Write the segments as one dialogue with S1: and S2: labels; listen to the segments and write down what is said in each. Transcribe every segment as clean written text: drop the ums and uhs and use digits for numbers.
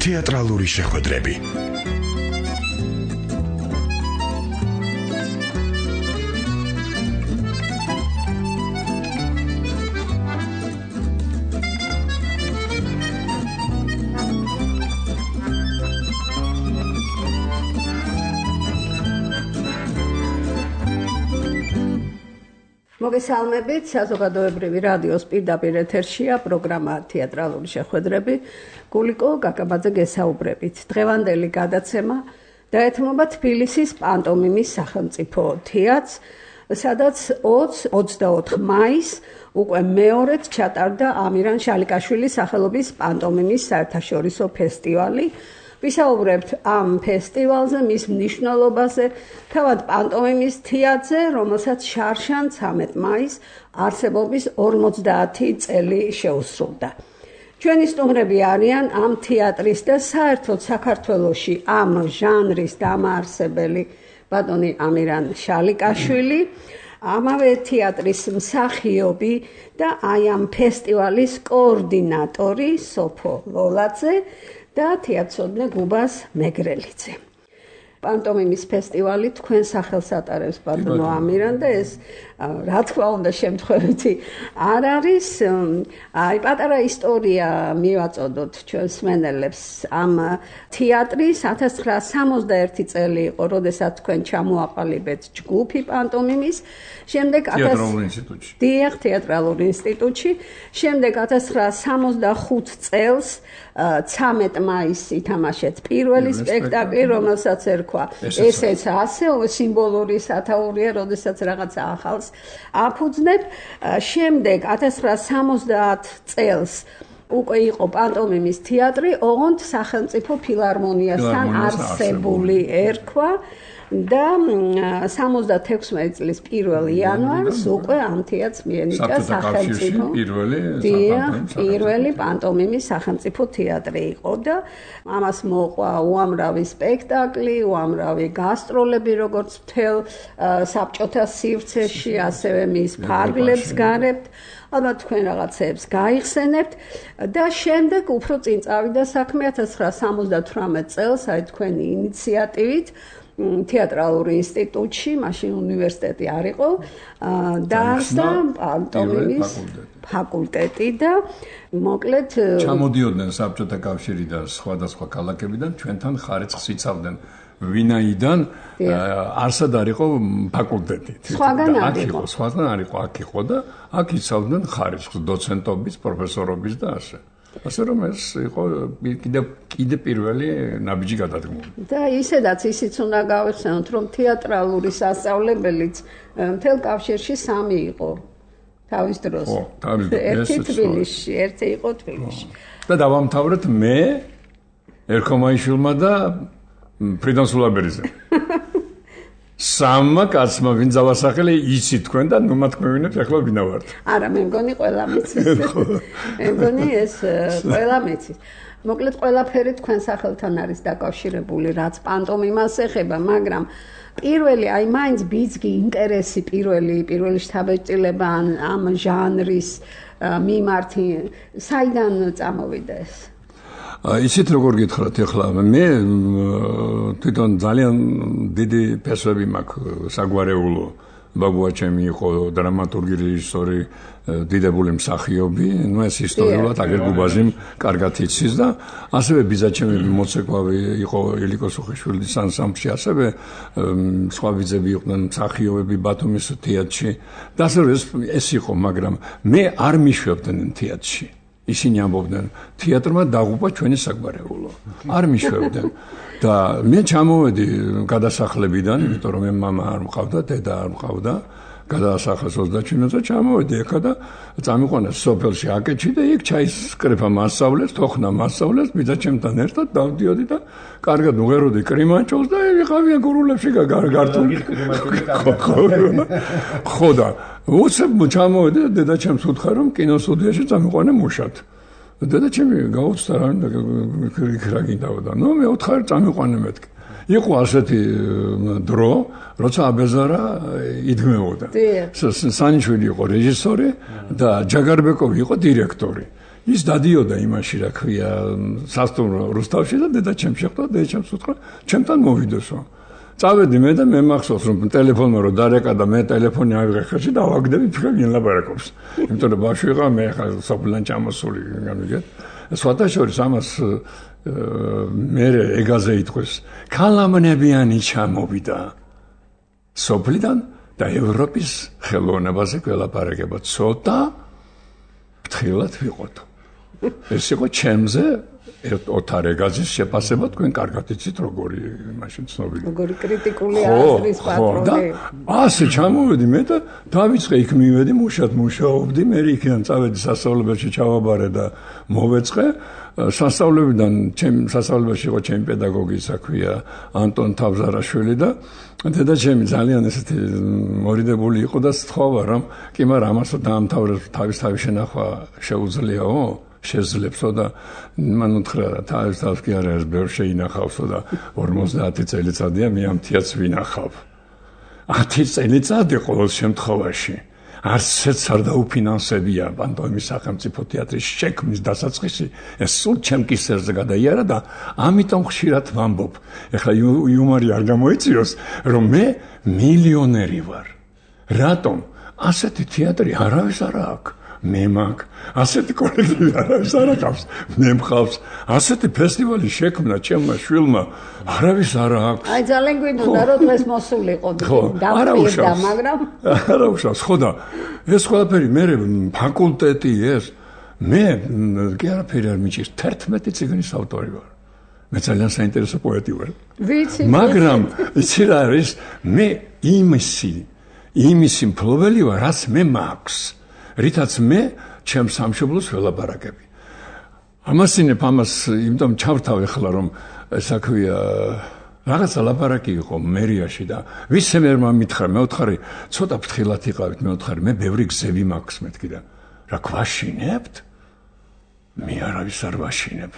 S1: თეატრალური შეხვედრები.
S2: მოგესალმებით, საზოგადოებრივი რადიოს პირდაპირ ეთერშია პროგრამა თეატრალური შეხვედრები. გულიკო გაგაბაძე გესაუბრებით. დღევანდელი გადაცემა დაეთმობა თბილისის პანტომიმის სახელმწიფო თეატრს, სადაც 20-24 მაისს უკვე მეორედ ჩატარდა ამირან შალიკაშვილის სახელობის პანტომიმის საერთაშორისო ფესტივალი. ვისაუბრებთ ამ ფესტივალზე, მის მნიშვნელობაზე, თავად პანტომიმის თეატრზე, რომელსაც შარშან 13 მაისს არსებობის 50 წელი შეუსრულდა. ჩვენი სტუმრები არიან ამ თეატრის და საერთოდ საქართველოში ამ ჟანრის დამაარსებელი ბატონი ამირან შალიკაშვილი, ამავე თეატრის მსახიობი და აი ამ ფესტივალის კოორდინატორი სოფო ლოლაძე და თეატრსოდნე გუბას მეგრელიძე. პანტომიმის ფესტივალი თქვენ სახელს ატარებს ბატონო ამირან და ეს რა თქმა უნდა შემთხვევითი არ არის. აი პატარა ისტორია მივაწოდოთ ჩვენს მსმენელებს ამ თეატრის 1961 წელი იყო, როდესაც თქვენ ჩამოაყალიბეთ ჯგუფი პანტომიმის, შემდეგ თეატრალურ ინსტიტუტში, შემდეგ 1965 წელს 13 მაისს ითამაშეთ პირველი სპექტაკლი, რომელსაც ერქვა ესეც ასევე სიმბოლური სათაურია, როდესაც რაღაცა ახალს აფუძნებ. შემდეგ 1970 წელს უკვე იყო პანტომიმის თეატრი, ოღონდ სახელმწიფო ფილარმონიასთან არსებული ერქვა და 76 წლის 1 იანვარს უკვე ამ თეატრს მიენიჭა სახელმწიფო პირველი პანტომიმის სახელმწიფო თეატრი იყო და ამას მოყვა უამრავი სპექტაკლი, უამრავი გასტროლები, როგორც მთელ საბჭოთა სივრცეში, ასევე მის ფარგლებს გარებთ. ალბათ თქვენ რაღაცეებს გაიხსენებთ და შემდეგ უფრო წინ წავიდა საქმე 1978 წელს, აი თქვენი ინიციატივით თეატრალურ ინსტიტუტში, მაშინ უნივერსიტეტი არ იყო, დაარსდა პანტომიმის ფაკულტეტი და მოკლედ
S3: ჩამოდიოდნენ საბჭოთა კავშირიდან, სხვადასხვა ქალაქებიდან, ჩვენთან ხარიცხს იცავდნენ. ვინაიდან არსად არ იყო ფაკულტეტი.
S2: სხვაგან
S3: არ იყო, აქ იყო და აქ იცავდნენ ხარიცხს, დოცენტობის, პროფესორობის და ასე. ასე რომ ეს იყო კიდე პირველი ნაბიჯი გადადგმული.
S2: და ისედაც ისიც უნდა გავიხსენოთ, რომ თეატრალური სასწავლებელიც მთელ კავშირში 3 იყო თავის დროს. ერთი თბილისში, ერთი იყო თბილისში.
S3: და დავამთავრეთ მე, ერქომაიშვილმა და ფრიდონ სულაბერიძე. სამმა კაცმა ვინ ძალასახელი იცით თქვენ და ნუ მათქმევინეთ ახლა ვინა ვართ.
S2: არა, მე მგონი ყველა მეცის. მე მგონი ეს ყველა მეცის. მოკლედ ყველაფერი თქვენ სახელთან არის დაკავშირებული, რაც პანტომიმას ეხება, მაგრამ პირველი აი მაინც ბიძგი ინტერესი პირველი შთაბეჭდილება ამ ჟანრის მიმართ საიდან წამოვიდა ეს?
S3: ისეთ როგორ გითხრათ ახლა მე თვითონ ძალიან დიდი ფესვები მაქვს საგვარეულო. ბაბუა ჩემი იყო დრამატურგი, რეჟისორი, დიდებული მსახიობი, ნუ ეს ისტორიულად აგერ გუბაზიმ კარგად იცის და ასევე ბიძაჩემი მოცეკვავი იყო ილიკო სუხიშვილის ანსამბლში, ასევე სხვა ბიძები იყვნენ მსახიობები ბათუმის თეატრში და ასე ეს იყო, მაგრამ მე არ მიშვებდნენ თეატრში. ისინი ამბობდნენ, თეატრმა დაღუპა ჩვენი საგვარეულო. არ მიშვებდნენ. და მე ჩამოვედი გადასახლებიდან, იმიტომ რომ მე მამა არ მყავდა, დედა არ მყავდა, გადაასახლეს 27 წელს ჩამოვედი ეხა და წამიყვანეს სოფელში აკეთში და იქ ჩაისკრეფა მასწავლეს, თოხნა მასწავლეს, ბიძაჩემთან ერთად დავდიოდი და კარგად უღეროდი კრიმანჭოლს და ვიყავიან გურულებში გართული. ხო და უცებ ჩამოვედი და დედაჩემს უთხრა რომ კინოსტუდიაში წამიყვანე მუშად. დედაჩემი გაუცდა რა გინდაოდა. ნუ მე უთხარ წამიყვანე მეთქი. იყო ასეთი დრო, როცა აბეზარა იდგმეოდა. სანიშვილი იყო რეჟისორი და ჯაგარბეკოვი იყო დირექტორი. ის დადიოდა იმაში, რა ქვია, სასტუმრო რუსთავში და დედა ჩემ შეხვდა, დედა ჩემს უთხრა, ჩემთან მოვიდოსო. წავედი მე და მე მახსოვს რომ ტელეფონმა რო დარეკა და მე ტელეფონი ავიღე ხელში და ავაგდები თქვენ ვინ ლაპარაკობს. იმიტომ რომ ბავშვი ვიყავ მე ხა სოფლან ჩამოსული გამიგეთ. სხვათა შორის ამას მე ეგაზე ითქვეს ქალამნებიანი ჩამოვიდა სოფლიდან და ევროპის ხელოვნებაზე გველაპარაკება ცოტა ფრთხილად ვიყოთ. ეს იყო ჩემზე ოთარეგაზის შეფასება თქვენ კარგად იცით როგორი მაშინ ცნობილი.
S2: როგორი კრიტიკული აზრის პატრონი.
S3: ასე ჩამოვედი მე და დავიწყე იქ მივედი მუშად მუშაობდი მე იქიდან წავედი სასწავლებელში ჩავაბარე და მოვეწყე სასწავლებიდან სასწავლებელში იყო ჩემი პედაგოგი საქვია ანტონ თავზარაშვილი და დედა ჩემი ძალიან ესეთი მორიდებული იყო და სთხოვა რომ კი მაგრამ ამასო დაამთავრებს თავის შენახვა შეუძლიაო შეძლებსო და მან უთხრა თავის კი არა ეს ბევრ შეინახავსო და 50 წელიწადია მე ამ თიაც ვინახავ 10 წელიწადი ყოველ შემთხვევაში არცეც არ დაუფინანსებია პანტომიმის სახელმწიფო თეატრის შექმნის დასაწყისი ეს სულ ჩემ კისერზე გადაიარა და ამიტომ ხშირად ვამბობ ეხლა იუმორი არ გამოიწვიოს რომ მე მილიონერი ვარ რატომ ასეთი თეატრი არავის არ აქვს მე მაგ ასეთი კოლექტივი არავის არ აქვს მე მყავს ასეთი ფესტივალი შექმნა ჩემმა შვილმა არავის არ აქვს
S2: აი ძალიან გვინდოდა რომ დღეს მოსულიყო დავწერდა მაგრამ
S3: არა უშავს ხო და ეს ყველაფერი მე ფაკულტეტი ეს მე კი არაფერი არ მიჭირს 11 წიგნის ავტორი ვარ მე ძალიან საინტერესო პოეტი ვარ
S2: ვიცი
S3: მაგრამ იცი რა არის მე იმისი მფლობელი ვარ რაც მე მაქვს რითაც მე ჩემს სამშობლოს ველაპარაკები. ამასინებ ამას იმიტომ ჩავთავ ახლა რომ საქვია რაღაცა ლაპარაკი იყო მერიაში და ვისე მერმა მითხრა მე ვთხარი ცოტა ფრთხილად იყავით მე ვთხარი მე ბევრი გზები მაქვს მეთქი და რა გვაშინებთ? მე არავის არ ვაშინებ.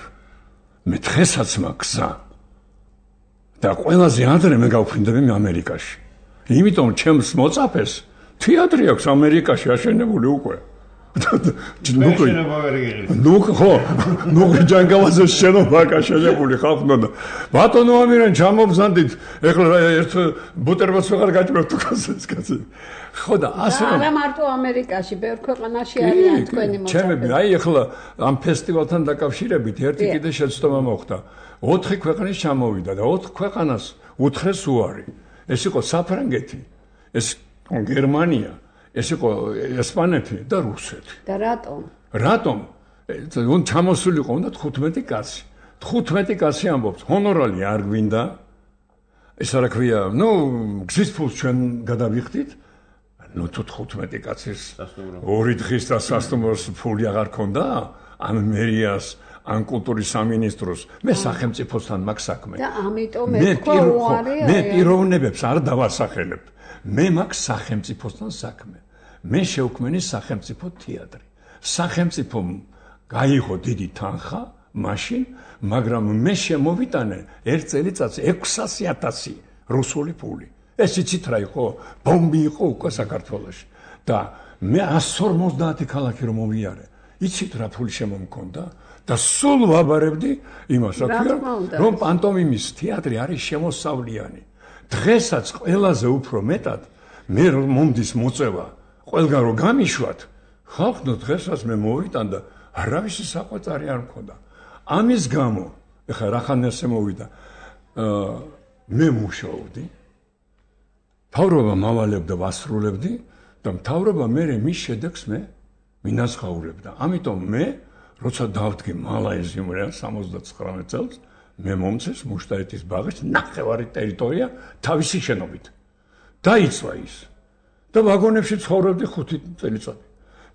S3: მე დღესაც მაქვს გზა. და ყველაზე ადრე მე გავფრინდები ამერიკაში. იმიტომ ჩემს მოწაფეს თეატრი აქვს ამერიკაში აშენებული უკვე. ნუ ხო, ნუ ჯანგავაზეს შენობა აშენებული ხალხმა და ბატონო ამირან ჩამობზანდით, ეხლა ერთ ბუტერბროდს ვეღარ გაჭმევთ უკაცეს კაცი. ხო და ასე
S2: არა მარტო ამერიკაში, ბევრ ქვეყანაში არიან თქვენი მოწაფეები.
S3: ჩემები, აი ეხლა ამ ფესტივალთან დაკავშირებით ერთი კიდე შეცდომა მოხდა. 4 ქვეყნის ჩამოვიდა და 4 ქვეყანას უთხრეს უარი. ეს იყო საფრანგეთი, ეს გერმანია, ეს იყო ესპანეთი და რუსეთი.
S2: და რატომ?
S3: რატომ? უნდა ჩამოსულიყო უნდა 15 კაცი. 15 კაცი ამბობს, ჰონორალი არ გვინდა. ეს რა ქვია, ნუ გზის ფულს ჩვენ გადავიხდით. ნუ თუ 15 კაცის 2 დღის და სასტუმროს ფული აღარ ქონდა, ამ მერიას ან კულტურის სამინისტროს მე სახელმწიფოსთან მაქვს საქმე.
S2: და ამიტომ ეთქვა უარი
S3: მე პიროვნებებს არ დავასახელებ. მე მაქვს სახელმწიფოსთან საქმე. მე შევქმენი სახელმწიფო თეატრი. სახელმწიფომ გაიღო დიდი თანხა მაშინ, მაგრამ მე შემოვიტანე ერთ წელიწადს 600,000 რუსული ფული. ეს იცით რა იყო? ბომბი იყო უკვე საქართველოში. და მე 150 ქალაქი რომ მოვიარე. იცით რა ფული შემომქონდა? და სულ ვაბარებდი იმას, რა ქვია, რომ პანტომიმის თეატრი არის შემოსავლიანი. დღესაც ყველაზე უფრო მეტად მე რომ მომდის მოწევა, ყველგან რომ გამიშვათ, ხალხო დღესაც მე მოვიტან და არავისი საყვაწარი არ მქონდა. ამის გამო, ეხლა რახანესე მოვიდა, მე მუშაობდი, მთავრობა მავალებდა, ვასრულებდი და მთავრობა მე მის შედეგს მე მინაცღაურებდა. ამიტომ მე როცა დავდგე მალაიზიუმიდან 79 წელს მე მომწეს მუშტაეთის ბაღის ნახევარი ტერიტორია თავისი შენობით. დაიწვა ის. და ვაგონებში ცხოვრობდი 5 წელიწადი.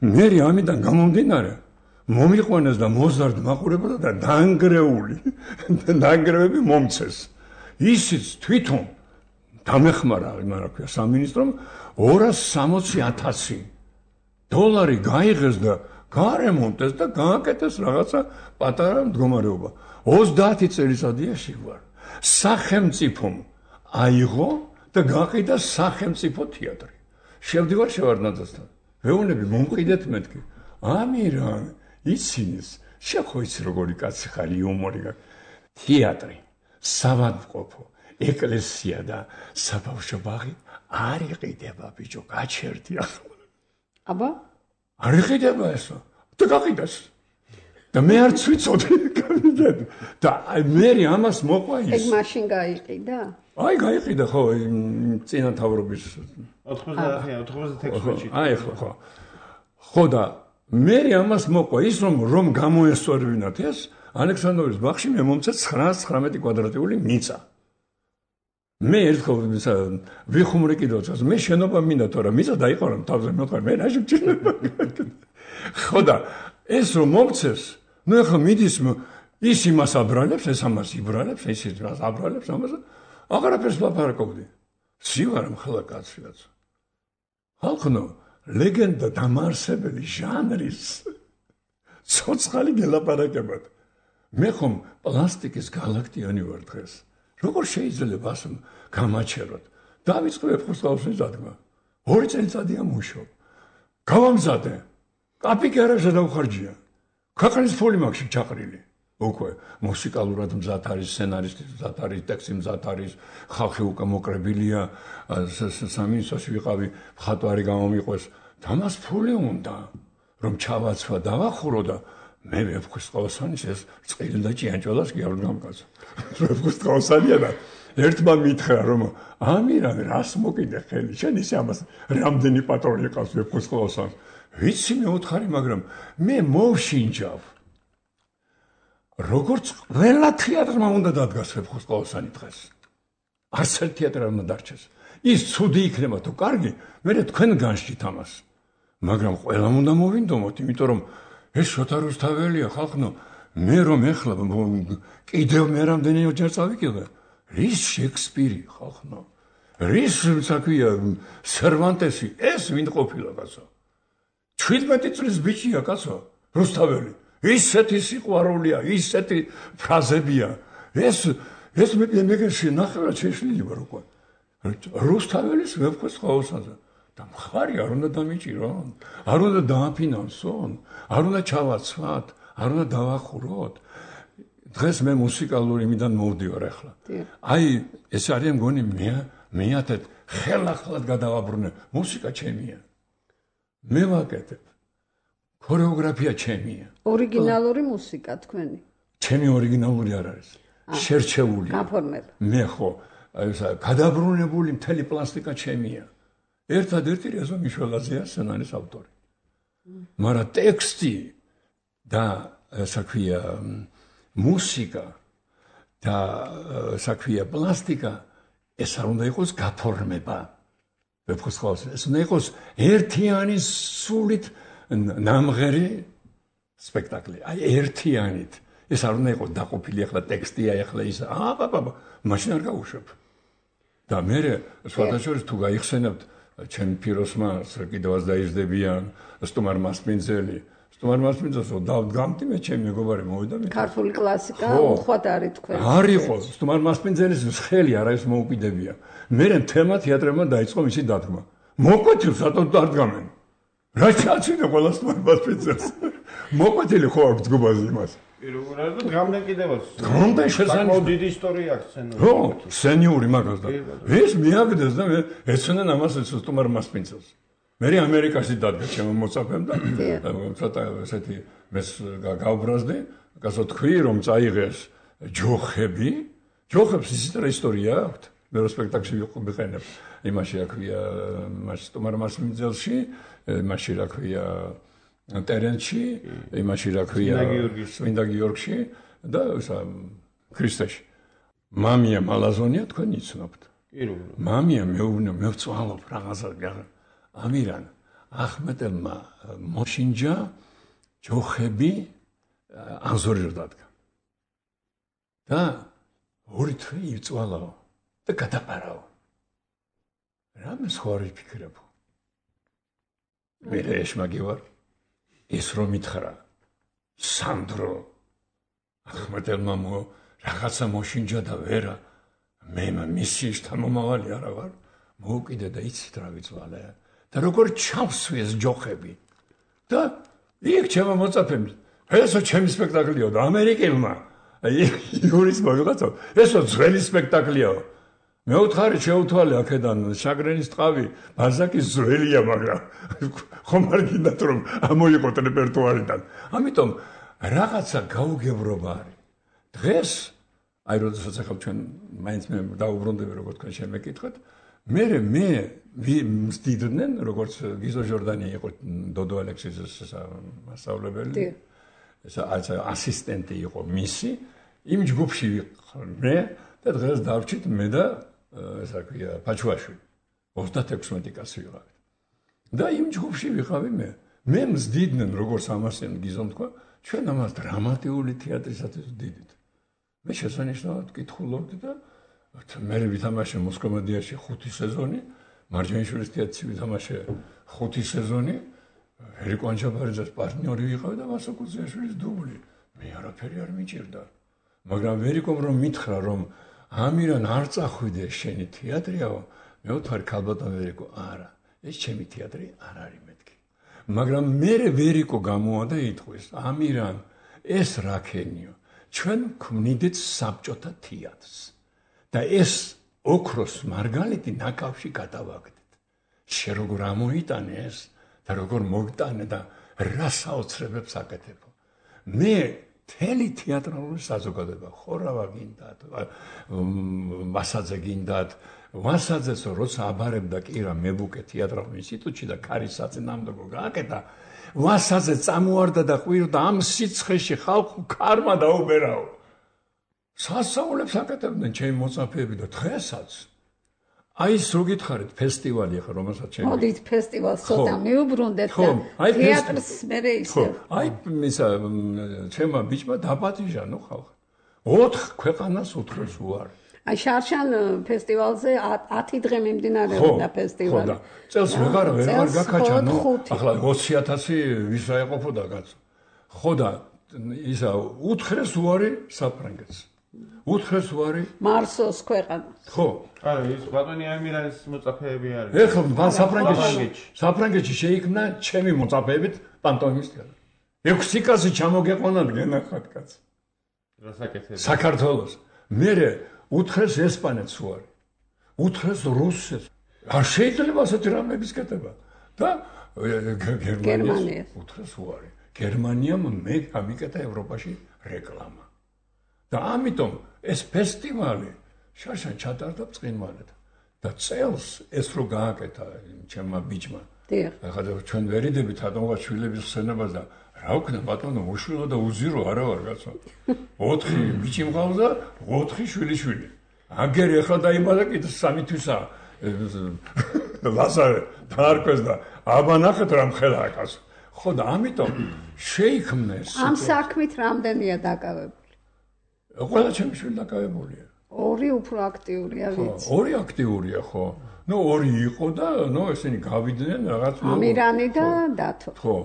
S3: მე ამიდან გამომდინარე მომიყვანეს და მოზარდ მაყურებდა და დაანგრეული. დაანგრევები მომწეს. ისიც თვითონ დამეხმარა, რა ქვია, სამინისტრომ 260,000 დოლარი გაიღეს და გარემონტეს და გააკეთეს რაღაცა პატარა მდგომარეობა. 30 წელიწადია შეგვარ. სახელმწიფომ აიღო და გაყიდა სახელმწიფო თეატრი. შევდივარ შევარდნაძესთან. ვეუბნები მომყიდეთ მეთქი. ამირან, იცინის შეხო იცი როგორი კაცი ხარ იუმორი თეატრი სავადმყოფო ეკლესია და საბავშვო ბაღი არ იყიდება ბიჭო გაჩერდი ახლა
S2: აბა
S3: არ იყიდება ესო და გაყიდას და მე არც ვიცოდი გავიდეთ და მე ამას მოყვა ის
S2: ეგ მაშინ გაიყიდა
S3: აი გაიყიდა ხო წინა თავრობის
S1: 96-ში
S3: აი ხო და მე ამას მოყვა ის რომ გამოესწორებინათ ეს ალექსანდროვის ბაღში მე მომცა 919 კვადრატული მიწა მე ერთხელ ვიხუმრე კიდევაც მე შენობა მინდა თორე მიწა დაიყარა თავზე მოყვა მე რა შეჭირდება ხო და ეს რომ მომცეს ნუ ახლა მიდის ის იმას აბრალებს ეს ამას იბრალებს ეს იმას აბრალებს ამას აღარაფერს ლაპარაკობდი სივარ მხლა კაცს ხალხო ლეგენდა დამარსებელი ჟანრის ცოცხალი გელაპარაკებად მე ხომ პლასტიკის გალაქტიონი ვარ დღეს როგორ შეიძლება ასე გამაჩეროთ დავიწყებ ხოსტავსის დადგმა 2 წელიწადია მუშაობ გავამზადე კაპიკი არ შედავხარჯია ქვეყნის ფული მაქვს ჩაყრილი უკვე მუსიკალურად მზად არის სცენარისტი მზად არის ტექსტი მზად არის ხალხი უკვე მოკრებილია სამინისტროში ვიყავი მხატვარი გამომიყვეს დამას ფული უნდა რომ ჩავაცვა დავახურო და მე ვეფხვის ყავსანის ეს წილი და ჭიანჭველას კი არ გამკაცო ვეფხვის ყავსანია და ერთმა მითხრა რომ ამირან რას მოკიდე ხელი შენ ისე ამას რამდენი პატრონი ყავს ვეფხვის ყავსანს ვიცი მე უთხარი მაგრამ მე მოვშინჯავ როგორც ყველა თეატრმა უნდა დადგას ვეფხვის ყავსანი დღეს არც ერთ თეატრ არ უნდა დარჩეს ის ცუდი იქნება თუ კარგი მე თქვენ განსჯით ამას მაგრამ ყველამ უნდა მოვინდომოთ იმიტომ რომ ეს შოთა რუსთაველია ხალხო მე რომ ეხლა კიდევ მე რამდენი ოჯარ წავიკიდე რის შექსპირი ხალხო რის საქმეა სერვანტესი ეს ვინ ყოფილა კაცო 17 წლის ბიჭია კაცო რუსთაველი ისეთი სიყვარულია ისეთი ფრაზებია ეს მე შენახევრად შეშლილი ვარ უკვე რუსთაველის ვეფხვის ყავსანზე და მხარი არ უნდა დამიჭირონ, არ უნდა დააფინანსონ, არ უნდა ჩავაცვათ, არ უნდა დავახუროთ. დღეს მე მუსიკალური იმიდან მოვდივარ ახლა. აი, ეს არის მგონი მეათეთ ხელახლად გადავაბრუნე. მუსიკა ჩემია. მე ვაკეთებ. ქორეოგრაფია ჩემია.
S2: ორიგინალური მუსიკა თქვენი.
S3: ჩემი ორიგინალური არ არის. შერჩეული.
S2: გაფორმება.
S3: მე ხო, გადაბრუნებული მთელი პლასტიკა ჩემია. ერთადერთი რეზო მიშველაძეა სცენარის ავტორი. მაგრამ ტექსტი და საქმეა მუსიკა და საქმეა პლასტიკა ეს არ უნდა იყოს გაფორმება. ვეფხვის ყავსანზე ეს უნდა იყოს ერთიანი სულით ნამღერი სპექტაკლი. აი ერთიანით. ეს არ უნდა იყოს დაყოფილი ახლა ტექსტია ახლა ის მაშინ არ გავუშვებ. და მე სხვადასხვა თუ გაიხსენებთ ჩემ პიროსმას კიდევაც დაიზრდებიან სტუმარ მასპინძელი მასპინძელსო დავდგამდი მე ჩემი მეგობარი მოვიდა მე
S2: ქართული კლასიკა უხვად არის თქვენ
S3: არ იყო სტუმარ მასპინძელის ხელი არ არის მოუკიდებია მე თემა თეატრებმა დაიწყო მისი დადგმა მოკვეთილ სატოდ დადგამენ რა ჩაცინე ყველა სტუმარ მასპინძელს მოკვეთილი ხო აქვს ჯგუფაზე იმას
S1: პირველად გამდნენ კიდევაც
S3: გამდნენ შესაძლოა
S1: დიდი ისტორია აქვს სცენური
S3: ხო სენიური მაგას და ეს მიაგდეს და მე ეცნან ამას სტუმარ მასპინძელს მე ამერიკაში დადგა ჩემო მოწაფემ და ცოტა ესეთი მეს გავბრაზდი გასო თქვი რომ წაიღეს ჯოხებს ისეთი ისტორია აქვს მე რო სპექტაკლში ვიყენებ იმაში რა ქვია მას სტუმარ მასპინძელში იმაში რა ქვია ტერენში, იმაში რა ქვია, წმინდა გიორგში და ქრისტეში. მამია მალაზონია თქვენ იცნობთ. მამია მევწვალობ რაღაცა ამირან ახმეტელმა მოშინჯა ჯოხები ანზორიერ დადგა. და ორი თვე იწვალაო და გადაყარავ. რამე სხვა არ ვიფიქრებ. მე ეშმაგი ვარ. ის რომ მითხრა სანდრო ახმეტელმა რაღაცა მოშინჯა და ვერა მე მისი შთამომავალი არა ვარ მოუკიდე და იცით რა ვიწვალე და როგორ ჩავსვეს ჯოხები და იქ ჩემო მოწაფემ ესო ჩემი სპექტაკლია და ამერიკელმა იგორის მოვიღაცა ესო ძველი სპექტაკლია მე უთხარი შეუთვალე აქედან შაგრენის ტყავი ბალზაკის ძველია მაგრამ ხომ არ გინდათ რომ ამოიყოთ რეპერტუარიდან ამიტომ რაღაცა გაუგებრობა არის დღეს აი როდესაც ახლა ჩვენ მაინც მე დაუბრუნდები როგორ თქვენ შემეკითხეთ მე მსდიდნენ როგორც გიზო ჟორდანი იყო დოდო ალექსიძის მასწავლებელი ეს ასისტენტი იყო მისი იმ ჯგუფში ვიყავ მე და დღეს დავჭით მე და ესა ქვია პაჩუაშვილი 36 კაცი ვიყავით და იმ ჯგუფში ვიყავი მე მსდიდნენ როგორც ამასენ გიზომ თქვა ჩვენ ამას დრამატიული თეატრისათვის ვდიდით მე შესანიშნავად კითხულობდი და მე ვითამაშე მოსკომედიაში 5 სეზონი მარჯანიშვილის თეატრში ვითამაშე 5 სეზონი ერიკო ანჩაბარიძის პარტნიორი ვიყავი და ვასო კუძიაშვილის დუბლი მე არაფერი არ მიჭირდა მაგრამ ერიკომ რომ მითხრა რომ ამირან არ წახვიდე შენი თეატრიაო მე ვთქვი ქალბატონ ერიკო არა ეს ჩემი თეატრი არ არის მეთქი მაგრამ მე ერიკო გამოვა და იტყვის ამირან ეს რაკენიო ჩვენ ქმნიდით საბჭოთა თეატრს და ეს ოქროს მარგალიტი ნაკავში გადავაგდეთ შე როგორ ამოიტანე ეს და როგორ მოგტანე და რა საოცრებებს აკეთებო მე თელი თეატრალური საზოგადოება ხორავა გინდათ ვასაძე გინდათ ვასაძეს როცა აბარებდა კირა მებუკე თეატრალურ ინსტიტუტში და ქარის საწინააღმდეგო გააკეთა ვასაძე წამოარდა და ყვირდა ამ სიცხეში ხალხო ქარმა დაუბერაო სასწაულებს აკეთებდნენ ჩემი მოწაფეები და დღესაც აი ის რო გითხარით ფესტივალი ახლა რომელსაც ჩემი
S2: მოდით ფესტივალს ცოტა მიუბრუნდეთ და თეატრს მერე ისე
S3: აი ისა ჩემმა ბიჭმა დაპატიჟა ნუ ხალხი 4 ქვეყანას უთხრეს უარი
S2: აი შარშან ფესტივალზე 10 დღე მიმდინარეობდა ფესტივალი
S3: ხო და წელს ვეღარ გაკაჩა ნუ ახლა 20000 ვის აეყოფოდა კაცო ხო და ისა უთხრეს უარი საფრანგეთს უთხრეს უარი
S2: მარსოს ქვეყანას
S3: ხო
S1: არა ის ბატონი ამირანის მოწაფეები არის
S3: ეხლა საფრანგეთში შეიქმნა ჩემი მოწაფეებით პანტომიმის თეატრი 6 კაცი ჩამოგეყვანათ გენახათ კაცი
S1: რასაკეთებს
S3: საქართველოს მე უთხრეს ესპანეთს უარი უთხრეს რუსეთს არ შეიძლება ასეთი რამების კეთება და გერმანიას უთხრეს უარი გერმანიამ მე გამიკეთა ევროპაში რეკლამა და ამიტომ ეს ფესტივალი შარშან ჩატარდა ბრწყინვალედ და წელს ეს რო გააკეთა ჩემმა ბიჭმა ახლა ჩვენ ვერიდებით ატომღა შვილების ხსენებას და რა ვქნა ბატონო უშვილო და უზირო არა ვარ კაცო 4 ბიჭი მყავს და 4 შვილიშვილი აგერი ახლა დაიბადა კიდე 3 თვისა ლაზარე დაარქვეს და აბა ნახეთ რა მხედაა კაცო ხო და ამიტომ შეიქმნა ეს
S2: ამ საქმით რამდენია დაკავებული
S3: ყველა ჩემი შვილი დაკავებულია
S2: 2 უფრო აქტიურია ვიცი
S3: 2 აქტიურია ხო ნუ 2 იყო და ნუ ესენი გავიდნენ რაღაც
S2: ამირანი და დათო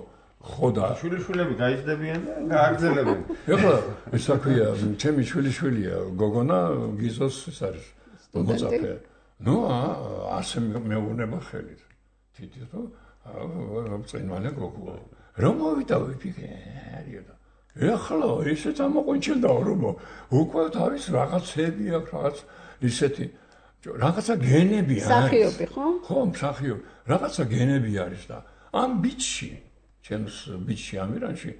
S3: ხო და
S1: შვილიშვილები გაიზრდებიან და გააგრძელებენ
S3: ეხლა ისა ქვია ჩემი შვილიშვილია გოგონა გიზოს ეს არის მოწაფე ნუ ასე მეუბნება ხელით თითი რომ წინვალე გოგო რომ მოვიდა ვიფიქრე და ეხლა ისე წამოყვინჩილდა რომ უკვე თავის რაღაცები აქვს რაღაც ისეთი რაღაცა გენები არის
S2: მსახიობი ხო
S3: მსახიობი რაღაცა გენები არის და ამ ბიჭში ჩემს ბიჭში ამირანში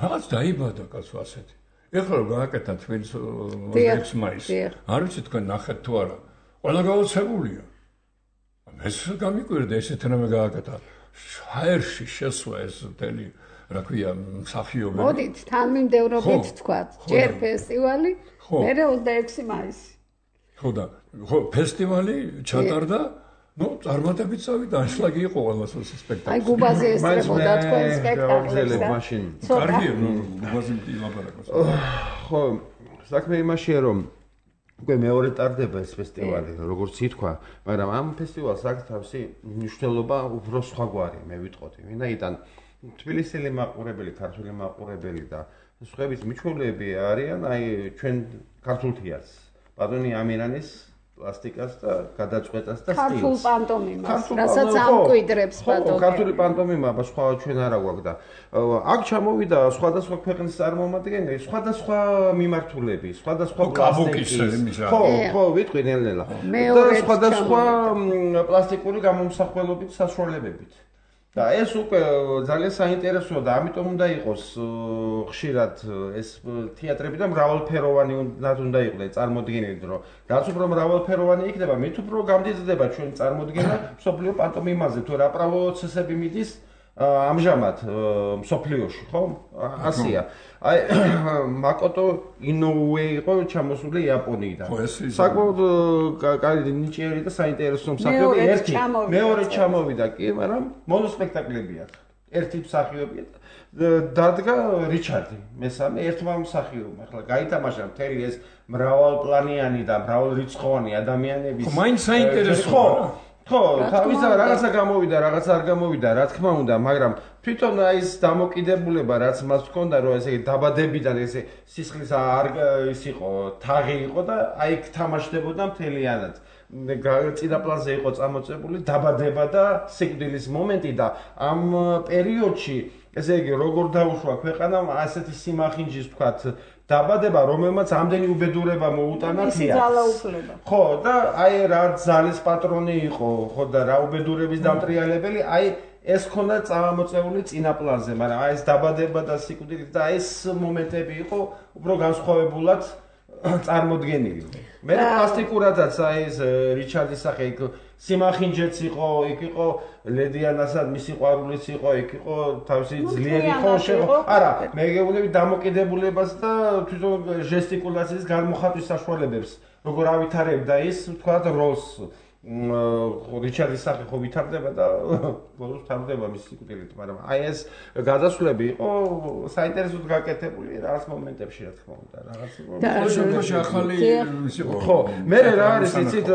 S3: რაღაც დაიბადა კაცო ასეთი ეხლა რომ გააკეთა თბილისის 6 მაისს არ ვიცი თქვენ ნახეთ თუ არა ყველა გაოცებულია ეს გამიკვირდა ესეთი რამე გააკეთა ჰაერში შესვა ეს მთელი რა ქვია მსახიობები
S2: მოდით თანმიმდევრობით თქვათ ჯერ ფესტივალი მერე 26 მაისი
S3: ხო და ფესტივალი ჩატარდა ნუ წარმატებით წავიდა ანშლაგი იყო ყველას ეს სპექტაკლი
S2: აი გუბაზე ესწრებოდა თქვენ სპექტაკლს და
S1: მაშინ
S3: კარგია ნუ გუბაზე ილაპარაკოს
S1: ხო საქმე იმაშია რომ უკვე მეორე ტარდება ეს ფესტივალი როგორც ითქვა მაგრამ ამ ფესტივალს აქვს თავისი მნიშვნელობა უფრო სხვაგვარი მე ვიტყოდი ვინაიდან თბილისელი მაყურებელი ქართული მაყურებელი და სხვების მიჩვეულები არიან აი ჩვენ ქართულ თეატრს ბატონი ამირანის პლასტიკას და გადაწყვეტას და სტილს.
S2: ქართულ პანტომიმას, რასაც ამკვიდრებს ბატონი.
S1: ქართული პანტომიმა, სხვა ჩვენ არა გვაქვს და აქ ჩამოვიდა სხვადასხვა ქვეყნის წარმომადგენლები, სხვადასხვა მიმართულები, სხვადასხვა
S3: პლასტიკის.
S1: ხო, ვიტყვი ნელ-ნელა. და სხვადასხვა პლასტიკური გამომსახველობით საშუალებებით. და ეს უკვე ძალიან საინტერესოა და ამიტომ უნდა იყოს ხშირად ეს თეატრები და მრავალფეროვანი უნდა იყოს წარმოდგენილი, რომ რაც უფრო მრავალფეროვანი იქნება, მით უფრო გამდიდრდება ჩვენი წარმოდგენა მსოფლიო პანტომიმაზე, თუ რა პროცესები მიდის ამჟამად მსოფლიოში, ხო? ასია. აი მაკოტო ინოუე იყო ჩამოსული იაპონიიდან. საკმაოდ კარგი ნიჭიერი და საინტერესო მსახიობი ერთი. მეორე ჩამოვიდა კი, მაგრამ მონოსპექტაკლები აქვს. ერთი მსახიობია. დადგა რიჩარდი, მესამე ერთმა მსახიობმა. ახლა გაითამაშა მთელი ეს მრავალპლანიანი და მრავალრიცხოვანი ადამიანების.
S3: მაინც საინტერესოა.
S1: ხო, თავისა რაღაცა გამოვიდა, რაღაცა არ გამოვიდა, რა თქმა უნდა, მაგრამ თვითონ ის დამოკიდებულება, რაც მას ჰქონდა, რომ ესე დაბადებიდან ესე სისხლის ის იყო, თაღი იყო და აი თამაშდებოდა მთლიანად. წინაპლანზე იყო წამოწებული დაბადება და სიკვდილის მომენტი და ამ პერიოდში, ესე იგი, როგორ დაუშვა ქვეყანამ ასეთი სიმახინჯის თქვათ დაბადება, რომელმაც ამდენი უბედურება მოუტანა
S2: თეატრს.
S1: ხო, და აი რა ძალის პატრონი იყო, ხო და რა უბედურების დამტრიალებელი, აი ეს ხონდა წამოწეული წინაპლანზე, მაგრამ აი ეს დაბადება და სიკვდილი და ეს მომენტები იყო უფრო განსხვავებულად წარმოდგენილი. მე პლასტიკურადაც აი ეს რიჩარდის სახე იქ სიმახინჯეც იყო, იქ იყო ლედიანასად მისი ყვარულიც იყო, იქ იყო თავისი ძლიერი ხოშე. არა, მე გეუბნები დამოკიდებულებას და თვითონ ჟესტიკულაციის გამოხატვის საშუალებებს, როგორ ავითარებდა ის, თქვათ, როლს. რიჩარდის სახე ხო ვითარდება და ბოლოს თარდება მის სიკვდილით, მაგრამ აი ეს გადასვლები იყო საინტერესოდ გაკეთებული რაღაც მომენტებში, რა თქმა უნდა, რაღაც
S3: მომენტებში ახალი
S1: ხო, მე რა არის იცით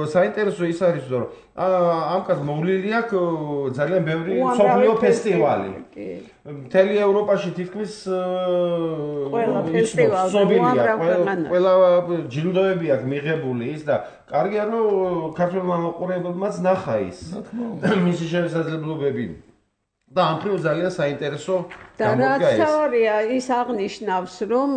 S1: საინტერესო ის არის, რომ ამ კაც მოვლილი აქვს ძალიან ბევრი მსოფლიო ფესტივალი. მთელი ევროპაში თითქმის
S2: ყველა ფესტივალი
S1: ყველა ჯილდოები აქვს მიღებული ის და კარგია რომ ქართულმა მოყურებელმაც ნახა ის მისი შესაძლებლობები და ამ მხრივ ძალიან საინტერესო
S2: გამოდგა ეს. და რაც ის აღნიშნავს რომ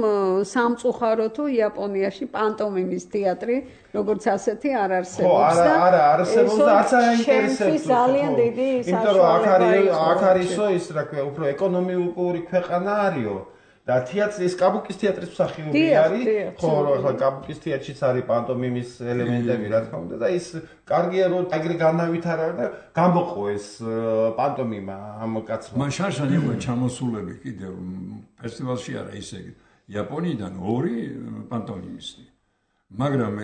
S2: სამწუხარო თუ იაპონიაში პანტომიმის თეატრი როგორც ასეთი არ არსებობს და
S1: არა არსებობს და არც არ აინტერესებს
S2: ძალიან დიდი
S1: საშუალება აქ არისო ის რა ქვია უფრო ეკონომიკური ქვეყანა არისო და თეატრის კაბუკის თეატრის მსახიობი არის ხო ახლა კაბუკის თეატრშიც არის პანტომიმის ელემენტები რა თქმა უნდა და ის კარგია რომ ეგრე განავითარა და გამოყო ეს პანტომიმა ამ კაცმა
S3: მან შარშანი იყო ჩამოსულები კიდევ ფესტივალში არა ისე იაპონიიდან 2 პანტომიმისტი მაგრამ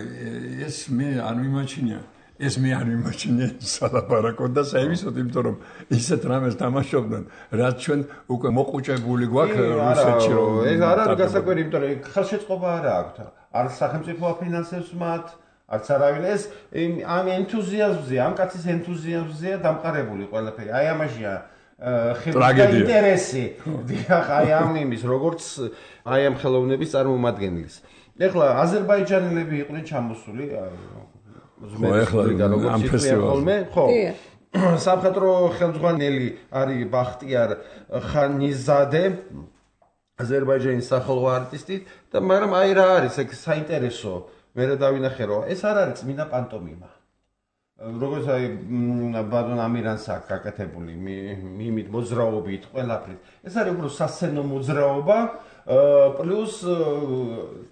S3: ეს მე არ მიმაჩნია ეს მე არ მიმაჩნია სალაპარაკოდ და საერთოდ იმიტომ რომ ისეთ რამეს თამაშობდნენ რაც ჩვენ უკვე მოყუჭებული გვაქვს რუსეთში რომ
S1: ეს არ არის გასაკვირი იმიტომ რომ ხელშეწყობა არა აქვთ არც სახელმწიფო აფინანსებს მათ არც არავინ ეს ამ ენთუზიაზმზე ამ კაცის ენთუზიაზმზეა დამყარებული ყველაფერი აი ამაშია ხელის ინტერესი დიახ აი ამ იმის როგორც აი ამ ხელოვნების წარმომადგენლის ეხლა აზერბაიჯანელები იყვნენ ჩამოსული
S3: ხო ახლა ამ ფესტივალზე
S1: ხო სამხატვრო ხელმძღვანელი არის ბახტიარ ხანიზადე აზერბაიჯანის სახელო არტისტი და მაგრამ აი რა არის ეგ საინტერესო მე რა დავინახე რომ ეს არ არის წმინდა პანტომიმა როგორც აი ბატონ ამირანს აქვს გაკეთებული მიმით მოძრაობით ყველაფრით ეს არის უფრო სასცენო მოძრაობა პლუს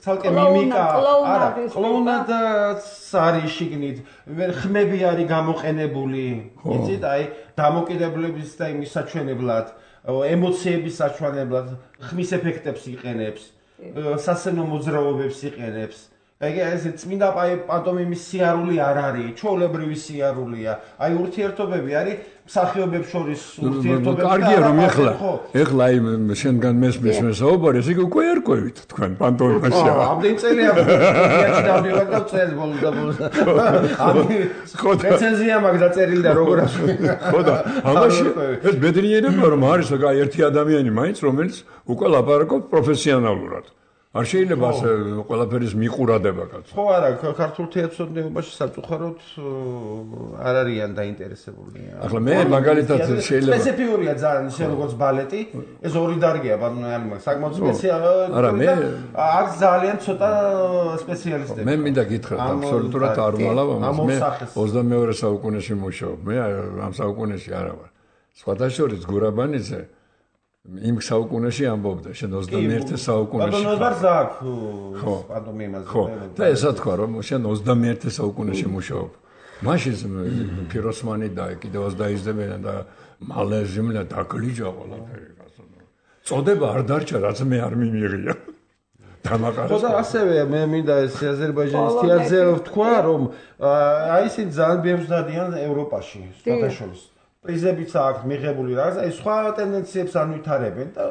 S1: ცალკე მიმიკა არა კლოუნადაც არის შიგნით ხმები არის გამოყენებული იცით აი დამოკიდებულების და იმის საჩვენებლად ემოციების საჩვენებლად ხმის ეფექტებს იყენებს სასცენო მოძრაობებს იყენებს ეგ ეს წმინდა პანტომიმის სიარული არ არის ჩვეულებრივი სიარულია აი ურთიერთობები არის მსახიობებს შორის ურთიერთობები
S3: კარგია რომ ეხლა აი შენგან მესმის საუბარი ეს უკვე ერკვევით თქვენ პანტომიმაში
S1: ამდენ წელია თეატრში დავდივარ და წელს ბოლოს ხო რეცენზია მაქვს დაწერილი და როგორ
S3: ხო და ამაში ეს ბედნიერებია რომ არის აი ერთი ადამიანი მაინც რომელიც უკვე ლაპარაკობს პროფესიონალურად არ შეიძლება ასე ყველაფერის მიყურადება კაცო.
S1: ხო არა, ქართულ თეატროსნეობაში საწუხაროდ არ არიან დაინტერესებული.
S3: ახლა მე მაგალითად შეიძლება
S1: სპეციფიურია ძალიან ისე როგორც ბალეტი, ეს ორი დარგია ბანანალმა, საკმაოდ სპეციალური.
S3: არა, მე
S1: არის ძალიან ცოტა სპეციალისტები.
S3: მე მინდა გითხრათ, აბსოლუტურად არ ვალავ ამას. მე 22 საუკუნეში მუშაობ. მე ამ საუკუნეში არა ვარ. სხვადასხვა გურაბანიძე იმ საუკუნეში ამბობდა, შენ 21 საუკუნეში.
S1: ბატონობას აქვს პანტომიმაზე.
S3: ხო, და ესა თქვა, რომ შენ 21 საუკუნეში მუშაობ. მაშინ ფიროსმანი და კიდევაც დაიზრდებიან და მალე ზემლა დაგლიჯა ყველაფერი კაცო. წოდება არ დარჩა, რაც მე არ მიმიღია. დამაყარეს.
S1: ხო და ასევე მე მინდა ეს აზერბაიჯანის თეატრზე ვთქვა, რომ აი ისინი ძალიან ბევრსდადიან ევროპაში, სხვადასხვა პრიზებიც აქვს მიღებული რაღაც, აი სხვა ტენდენციებს არ ვითარებენ და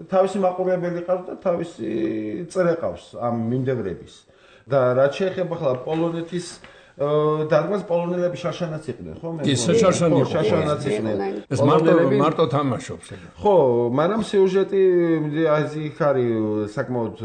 S1: თავისი მაყურებელი ყავს და თავისი წრე ყავს ამ მიმდევრების. და რაც შეეხება ხლა პოლონეთის დადგმას პოლონელები შაშანაც იყვნენ, ხო?
S3: კი, შაშანი იყო.
S1: შაშანაც იყვნენ.
S3: ეს მარტო თამაშობს.
S1: ხო, მაგრამ სიუჟეტი იქ არის საკმაოდ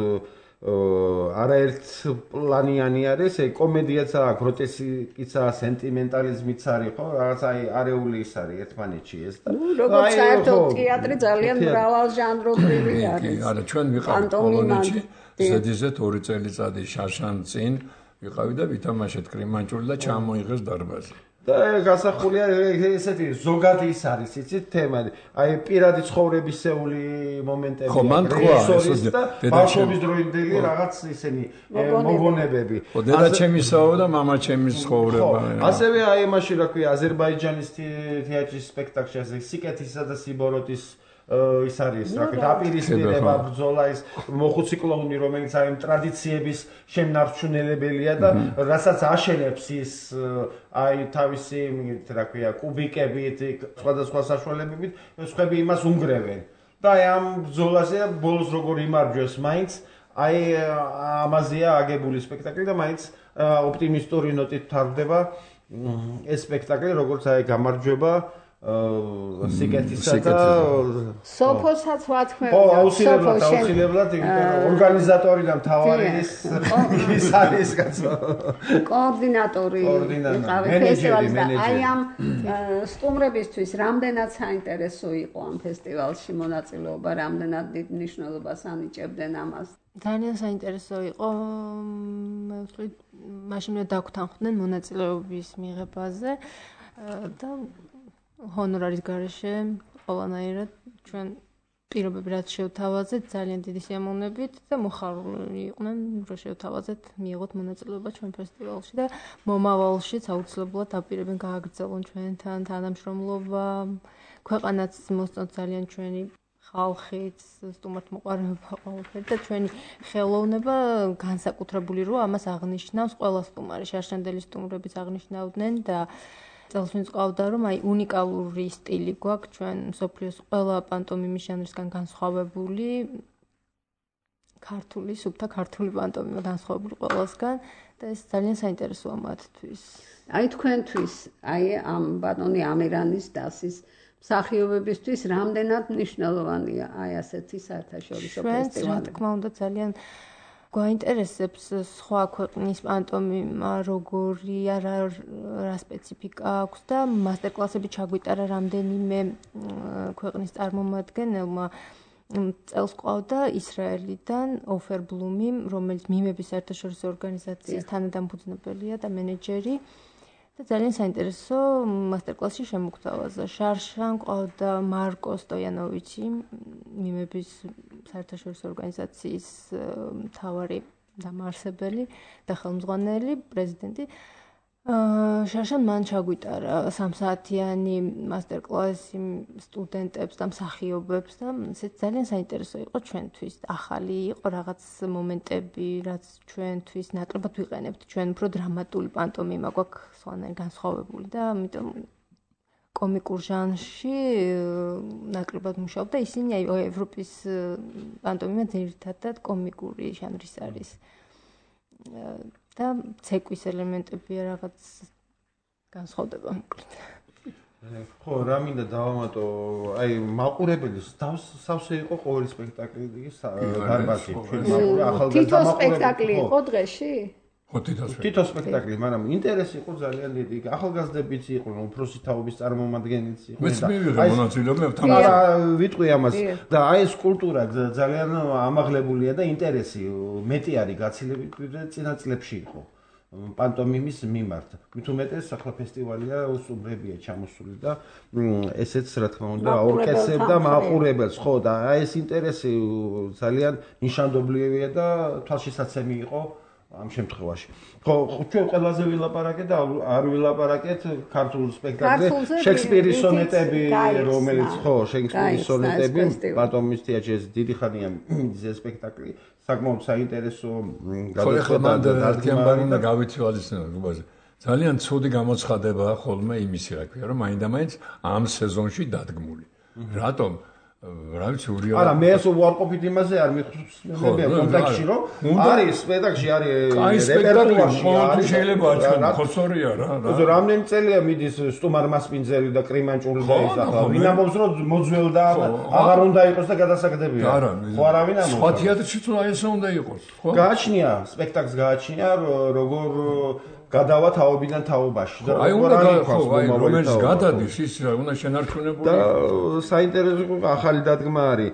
S1: არაერთპლანიანი არის, კომედიაც აქვს, გროტესკიც აქვს, სენტიმენტალიზმიც არის, ხო? რაღაც აი არეული ის არის ერთმანეთში ეს და
S2: როგორც საერთოდ თეატრი ძალიან მრავალჟანრობრივი არის.
S3: კი, არა, ჩვენ ვიყავით პოლონეთში, ზედიზედ 2 წელიწადი შაშან წინ ვიყავი და ვითამაშეთ კრიმანჭული და ჩამოიღეს დარბაზი.
S1: და გასახულია ესეთი ზოგადი ის არის, იცით, თემა. აი პირადი ცხოვრებისეული მომენტები.
S3: ხო, მან თქვა ეს
S1: და ბავშვობის დროინდელი რაღაც ისენი მოგონებები.
S3: ხო, დედაჩემისაო და მამაჩემის ცხოვრება.
S1: ასევე აი იმაში რა ქვია, აზერბაიჯანის თეატრის სპექტაკლში ასე სიკეთისა და სიბოროტის ის არის, რა ქვია, დაპირისპირება, ბრძოლა, ის მოხუცი კლოუნი, რომელიც აი ტრადიციების შემნარჩუნელებელია და რასაც აშენებს ის აი თავისი, რა ქვია, კუბიკებით, სხვადასხვა საშუალებებით, სხვები იმას უნგრევენ. და აი ამ ბრძოლაზე ბოლოს როგორ იმარჯვეს მაინც, აი ამაზეა აგებული სპექტაკლი და მაინც ოპტიმისტური ნოტით თარდება ეს სპექტაკლი, როგორც აი გამარჯვება სიკეთისა და
S2: სოფოსაც ვათქმევ.
S1: ხო, აუცილებლად, ორგანიზატორი და მთავარი ის არის კაცო.
S2: კოორდინატორი იყავი ფესტივალის და აი ამ სტუმრებისთვის რამდენად საინტერესო იყო ამ ფესტივალში მონაწილეობა, რამდენად დიდ მნიშვნელობას ანიჭებდნენ ამას.
S4: ძალიან საინტერესო იყო. მე ვთქვი, მაშინ მე დაგვთანხმდნენ მონაწილეობის მიღებაზე და ჰონორარის გარეშე ყველანაირად ჩვენ პირობები რაც შევთავაზეთ ძალიან დიდი სიამოვნებით და მოხარული იყვნენ რომ შევთავაზეთ მიიღოთ მონაწილეობა ჩვენ ფესტივალში და მომავალშიც აუცილებლად დაპირებენ გააგრძელონ ჩვენთან თანამშრომლობა ქვეყანაც მოსწონთ ძალიან ჩვენი ხალხიც სტუმართმოყვარეობა ყველაფერი და ჩვენი ხელოვნება განსაკუთრებული როა ამას აღნიშნავს ყველა სტუმარი შარშანდელი სტუმრებიც აღნიშნავდნენ და წელს ყავდა რომ აი უნიკალური სტილი გვაქვს ჩვენ მსოფლიოს ყველა პანტომიმის ჟანრისგან განსხვავებული ქართული სუფთა ქართული პანტომიმა განსხვავებული ყველასგან და ეს ძალიან საინტერესოა მათთვის.
S2: აი თქვენთვის აი ამ ბატონი ამირანის დასის მსახიობებისთვის რამდენად მნიშვნელოვანია აი ასეთი საერთაშორისო ფესტივალი.
S4: რა თქმა უნდა ძალიან გვაინტერესებს სხვა ქვეყნის პანტომიმა როგორია რა სპეციფიკა აქვს და მასტერკლასები ჩაგვიტარა რამდენიმე ქვეყნის წარმომადგენელმა წელს ყავდა ისრაელიდან ოფერ ბლუმი რომელიც მიმების საერთაშორისო ორგანიზაციის თანადამფუძნებელია და მენეჯერი და ძალიან საინტერესო მასტერკლასში შემოგთავაზა. შარშან ყავდა მარკო სტოიანოვიჩი, მიმების საერთაშორისო ორგანიზაციის მთავარი დამაარსებელი და ხელმძღვანელი, პრეზიდენტი. შარშან მან ჩაგვიტარა 3 საათიანი მასტერკლასი სტუდენტებს და მსახიობებს და ეს ძალიან საინტერესო იყო ჩვენთვის. ახალი იყო რაღაც მომენტები, რაც ჩვენთვის ნაკლებად ვიყენებთ. ჩვენ უფრო დრამატული პანტომიმა გვაქვს სხვანაირ განსხვავებული და ამიტომ კომიკურ ჟანრში ნაკლებად მუშაობ და ისინი აი ევროპის პანტომიმა ძირითადად კომიკური ჟანრის არის. და ცეკვის ელემენტებია რაღაც განსხვავდება.
S1: ხო, რა მინდა დავამატო, აი მაყურებლის სავსე იყო ყოველი სპექტაკლი დარბაზი.
S2: თითო სპექტაკლი იყო დღეში?
S3: ხო,
S1: თითო სპექტაკლი, მაგრამ ინტერესი იყო ძალიან დიდი. ახალგაზრდებიც იყვნენ, უფროსი თაობის წარმომადგენლიც იყვნენ.
S3: მეც მივიღე მონაწილეობა თან.
S1: არა, ვიტყვი ამას და აი ეს კულტურა ძალიან ამაღლებულია და ინტერესი მეტი არის გაცილებით ვიდრე წინა წლებში იყო. პანტომიმის მიმართ. მით უმეტეს ახლა ფესტივალია უსუბრებია ჩამოსული და ესეც რა თქმა უნდა აორკესტრებდა მაყურებელს, ხო და აი ეს ინტერესი ძალიან ნიშანდობლივია და თვალშისაცემი იყო ამ შემთხვევაში. ხო, ჩვენ ყველაზე ვილაპარაკეთ და არ ვილაპარაკეთ ქართულ სპექტაკლზე შექსპირის სონეტები, რომელიც ხო, შექსპირის სონეტები, პანტომიმის თეატრში ეს დიდი ხანია ეს სპექტაკლი. საკმაოდ საინტერესო
S3: გადაწყვეტა და დადგმარი და გავითვალისწინოთ რუბაზე. ძალიან ცუდი გამოცხადებაა ხოლმე იმისი, რა ქვია, რომ მაინდა-მაინც ამ სეზონში დადგმული. რატომ? რა ვიცი, ურია.
S1: არა, მე ეს უარყოფით იმაზე არ მიხსენებია კონტექსტში, რომ არის სპექტაკლში არის რეპერტუარში
S3: არის შეიძლება აჩვენო, ხოსორია რა.
S1: რამდენი წელია მიდის სტუმარ მასპინძელი და კრიმანჭული და ის ახლა. ვინ ამბობს, რომ მოძველდა აღარ უნდა იყოს და გადასაგდებია. ხო, არავინ ამბობს.
S3: სხვა თეატრში თუ აი ესე უნდა იყოს, ხო?
S1: გააჩნია, სპექტაკლს გააჩნია, როგორ გადავა თაობიდან თაობაში
S3: და აი უნდა რომელიც გადადის ის უნდა შენარჩუნებული
S1: და საინტერესო ახალი დადგმა არის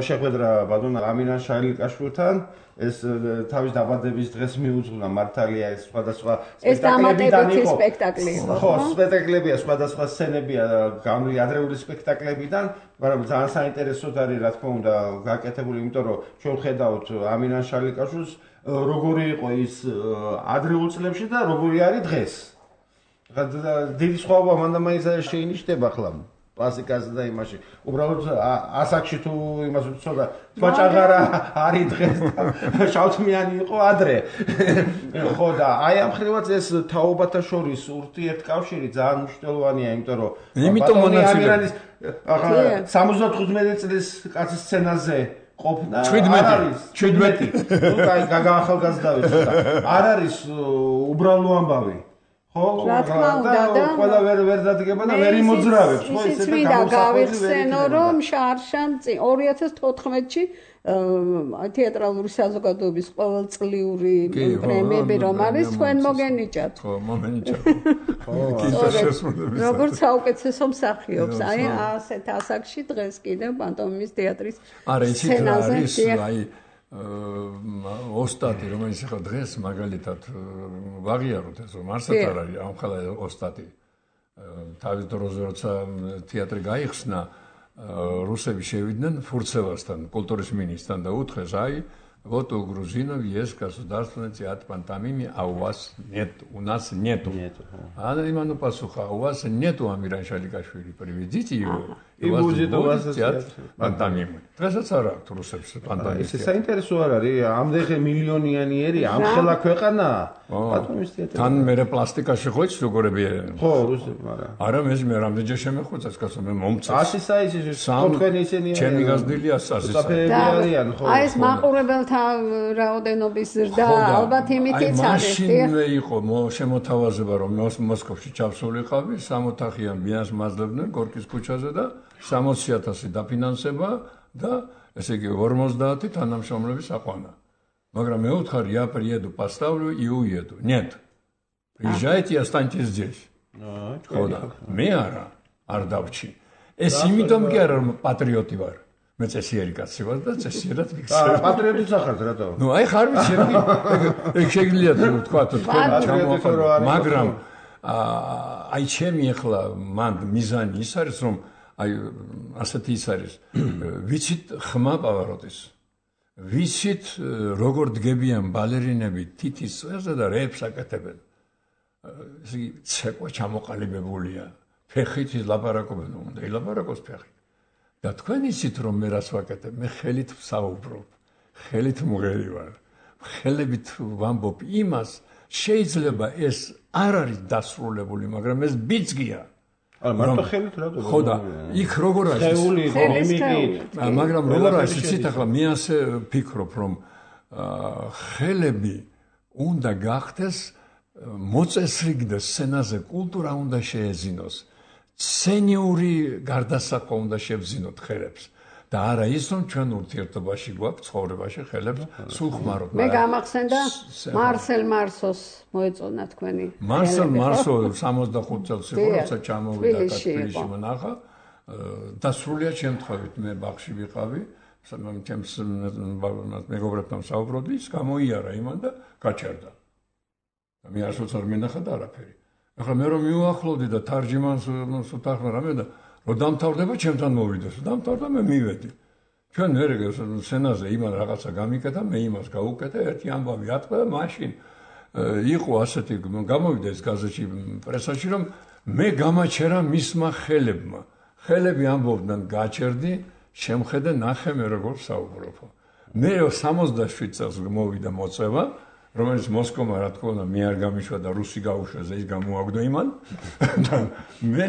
S1: შეხვედრა ბატონ ამინან შალიკაშვილთან ეს თავის დაბადების დღეს მიუძღვნა მართალია ეს სხვადასხვა
S2: სპექტაკლებიდან იყო
S1: ხო სპექტაკლებია სხვადასხვა სცენებია გამრავლი ადრეული სპექტაკლებიდან მაგრამ ძალიან საინტერესოდ არის რა თქმა უნდა გაკეთებული იმიტომ რომ ჩვენ ხედავთ ამინან შალიკაშვილს როგორი იყო ის ადრეულ წლებში და როგორი არის დღეს. დიდი სხვაობა მანდ-მაინც შეინიშნება ხლა კლასიკაზე და იმაში. უბრალოდ ასაკში თუ იმას ვთქვა, თვაჭაღარა არის დღეს და შავთმიანი იყო ადრე. ხო და აი ამ ხრივაც ეს თაობათა შორის ურთიერთკავშირი ძალიან მნიშვნელოვანია, იმიტომ რომ
S3: იმიტომ მონაწილეობს
S1: ახლა 75 წლის კაცის სცენაზე ყოფნა 17 ნუ გაახალგაზრდავით ცოტა არ არის უბრალო ამბავი ხო
S2: რა თქმა უნდა და
S1: ყველა ვერ დადგება და ვერ იმოძრავებს ხო
S2: ისე და გავიხსენო რომ შარშან 2014-ში თეატრალური საზოგადოების ყოველწლიური პრემიები რომ არის თქვენ მოგენიჭათ
S3: ხო მომენიჭათ
S2: როგორც საუკეთესო მსახიობს აი ასეთ ასაკში დღეს კიდევ პანტომიმის თეატრის
S3: სცენაზე აი ოსტატი რომელიც ახლა დღეს მაგალითად ვაღიაროთ ეს რომ არსად არ არის ამ ხალხი ოსტატი თავის დროზე როცა თეატრი გაიხსნა რუსები შევიდნენ ფურცევასთან კულტურის მინისტრთან და უთხრეს აი вот у грузинов есть государственный театр пантомимы, а у вас нет, у нас нету. Она ему пасуха, у вас нету Амиран Шаликашвили, приведите его, и будет у вас театр пантомимы. Დღესაც არ აქვს რუსებს პანტომიმის.
S1: ეს საინტერესო არ არის, ამდღე მილიონიანი ერი, ამ ხელა ქვეყანა. პანტომიმის თეატრი.
S3: თან მე პლასტიკაში ხო იცი როგორები არიან?
S1: ხო, რუსები, მაგრამ.
S3: არა, მე რამდენჯერ შემეხვეწა, კაცო, მე მომწეს.
S1: 100 საიზის თქვენი ისინი
S3: არიან. ჩემი გაზრდილი 100
S1: საფერები არიან, ხო.
S2: აი ეს მაყურებელთა რაოდენობის ზრდა ალბათ იმითიც არის.
S3: მაშინ იყო შემოთავაზება, რომ მოსკოვში ჩავსულიყავი, 60 ოთახიან ბინას მაძლებდნენ გორკის ქუჩაზე და 60,000 დაფინანსება და ესე იგი 50 თანამშრომლების აყვანა. Მაგრამ მე ვუთხარი, я приеду, поставлю и уеду. Нет. Приезжайте и останьтесь здесь. Хода. მე არ დავჭი. ეს იმიტომ კი არა რომ პატრიოტი ვარ. მე წესიერი კაცი ვარ და წესიერად ვიქცევ.
S1: პატრიოტიც ახართ რატო?
S3: ნუ აი ხარ ვიცი, ეგ შეგიძლია თქვა თქვენ ჩამოაყალიბოთ, მაგრამ აი ჩემი ახლა მან მიზანი ის არის რომ აი ასეთი ის არის ვიცით ხმა პავაროტის ვიცით როგორ დგებიან ბალერინები თითის წვერზე და რეებს აკეთებენ ესე იგი ცეკვა ჩამოყალიბებულია ფეხით ლაპარაკობენ უნდა ილაპარაკოს ფეხით და თქვენ იცით რომ მე რას ვაკეთებ მე ხელით ვსაუბრობ ხელით მღერი ვარ ხელებით ვამბობ იმას შეიძლება ეს არ არის დასრულებული მაგრამ ეს ბიძგია
S1: მარტო ხელით რატო
S3: ხო და იქ როგორ არის მაგრამ როგორ არის იცით ახლა მე ასე ვფიქრობ რომ ხელები უნდა გახდეს მოწესრიგდეს სცენაზე კულტურა უნდა შეეზინოს სენიური გარდასახვა უნდა შევძინოთ ხელებს. და არა ის რომ ჩვენ ურთიერთობაში გვაქვს ცხოვრებაში ხელებს სულ ხმარობ.
S2: მე გამახსენდა მარსელ მარსოს მოეწონა თქვენი.
S3: მარსელ მარსო 65 წელს იყო როცა ჩამოვიდა თბილისში მონახა და სრულიად შემთხვევით მე ბაღში ვიყავი ჩემს მეგობრებთან საუბრობდი ის გამოიარა იმან და გაჩერდა. მე არასოდეს არ მენახა და არაფერი. ახლა მე რომ მივახლოვდი და თარჯიმანს უთანხმდა რამე და რომ დამთავრდება ჩემთან მოვიდეს დამთავრდა მე მივედი ჩვენ მე სცენაზე იმან რაღაცა გამიკეთა მე იმას გავუკეთე ერთი ამბავი ატყდა და მაშინ იყო ასეთი გამოვიდა ეს გაზეთში პრესაში რომ მე გამაჩერა მისმა ხელებმა ხელები ამბობდნენ გაჩერდი შემხედე ნახე მე როგორ საუბრობ მე 67 წელს მოვიდა მოწევა რომელიც მოსკოვმა რა თქმა უნდა მე არ გამიშვა და რუსი გაუშვეს ის გამოაგდო იმან და მე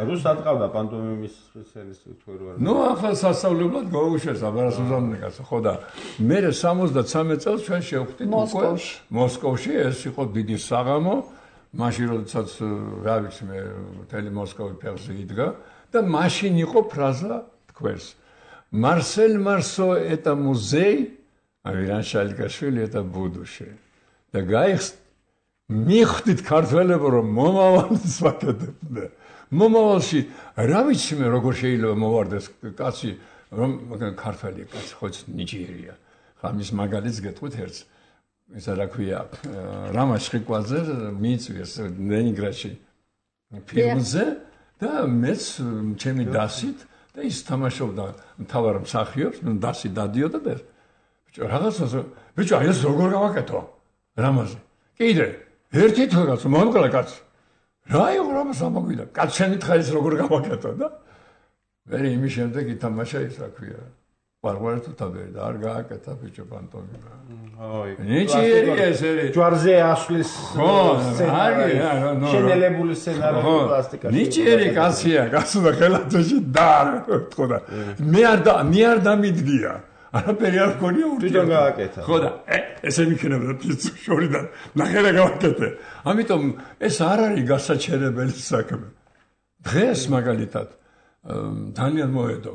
S1: რუსს ატყავდა პანტომიმის სპეციალისტი თუ რა
S3: ნუ ახლა სასწავლებლად გაუშვეს აბარასუზანე კაცო ხო და მე 73 წელს ჩვენ შევხვდით უკვე მოსკოვში ეს იყო დიდი საღამო მაშინ როდესაც რა ვიცი მე მთელი მოსკოვი ფეხზე იდგა და მაშინ იყო ფრაზა თქვენს Marcel Marceau est un musée Aviran Shalikaშვილი eta ბუდუში და გაიხს მიხდით ქართველებო რომ მომავალს ვაკეთებდა მომავალში რა ვიცი მე როგორ შეიძლება მოვარდეს კაცი რომ ქართველი კაცი ხოც ნიჭიერია ხა მის მაგალითს გეტყვით ერთს ისა რა ქვია რამაშ ხვიკვაძე მიიწვიეს ლენინგრადში ფილმზე და მეც ჩემი დასით და ის თამაშობდა მთავარ მსახიობს დასი დადიოდა და რაღაცას ბიჭო აი ეს როგორ გავაკეთო რამაზე კიდე ერთი თვეაც მომკლა კაცი რა იყო რამას ამოგვიდა კაცი შენი თხარის როგორ გავაკეთო და მე იმის შემდეგ ითამაშა ის რა ქვია ვარვარ თუ თავი და არ გააკეთა ბიჭო პანტომიმა აი ნიჭიერი ესერი
S1: ჯვარზე ასვლის შენელებული სცენარები პლასტიკაში
S3: ნიჭიერი კაცია კაცო და ხელათოში და ხო და მე არ დამიდგია არაფერი არ გქონია
S1: თვითონ გააკეთა
S3: ხო და ესენი იქნება ფიცუ შორიდან ნახერა გავაკეთე ამიტომ ეს არ არის გასაჩერებელი საქმე დღეს მაგალითად ძალიან მოედო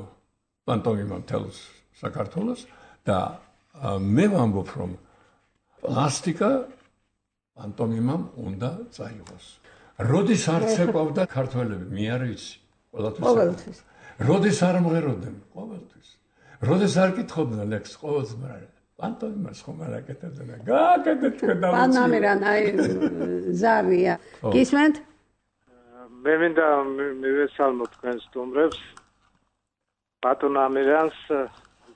S3: პანტომიმა მთელს საქართველოს და მე ვამბობ რომ პლასტიკა პანტომიმამ უნდა წაიღოს როდის არ ცეკვავდა ქართველები მე არ ვიცი
S2: ყოველთვის
S3: როდის არ მღეროდნენ ყოველთვის როდეს არ კითხობდნენ ლექს ყოველდღე პანტომიმას ხომ არ აკეთებდნენ გააკეთეთ თქვენ და
S2: პანამერან აი ზარია გისმენთ
S5: მე მინდა მივესალმოთ თქვენ სტუმრებს ბატონ ამირანს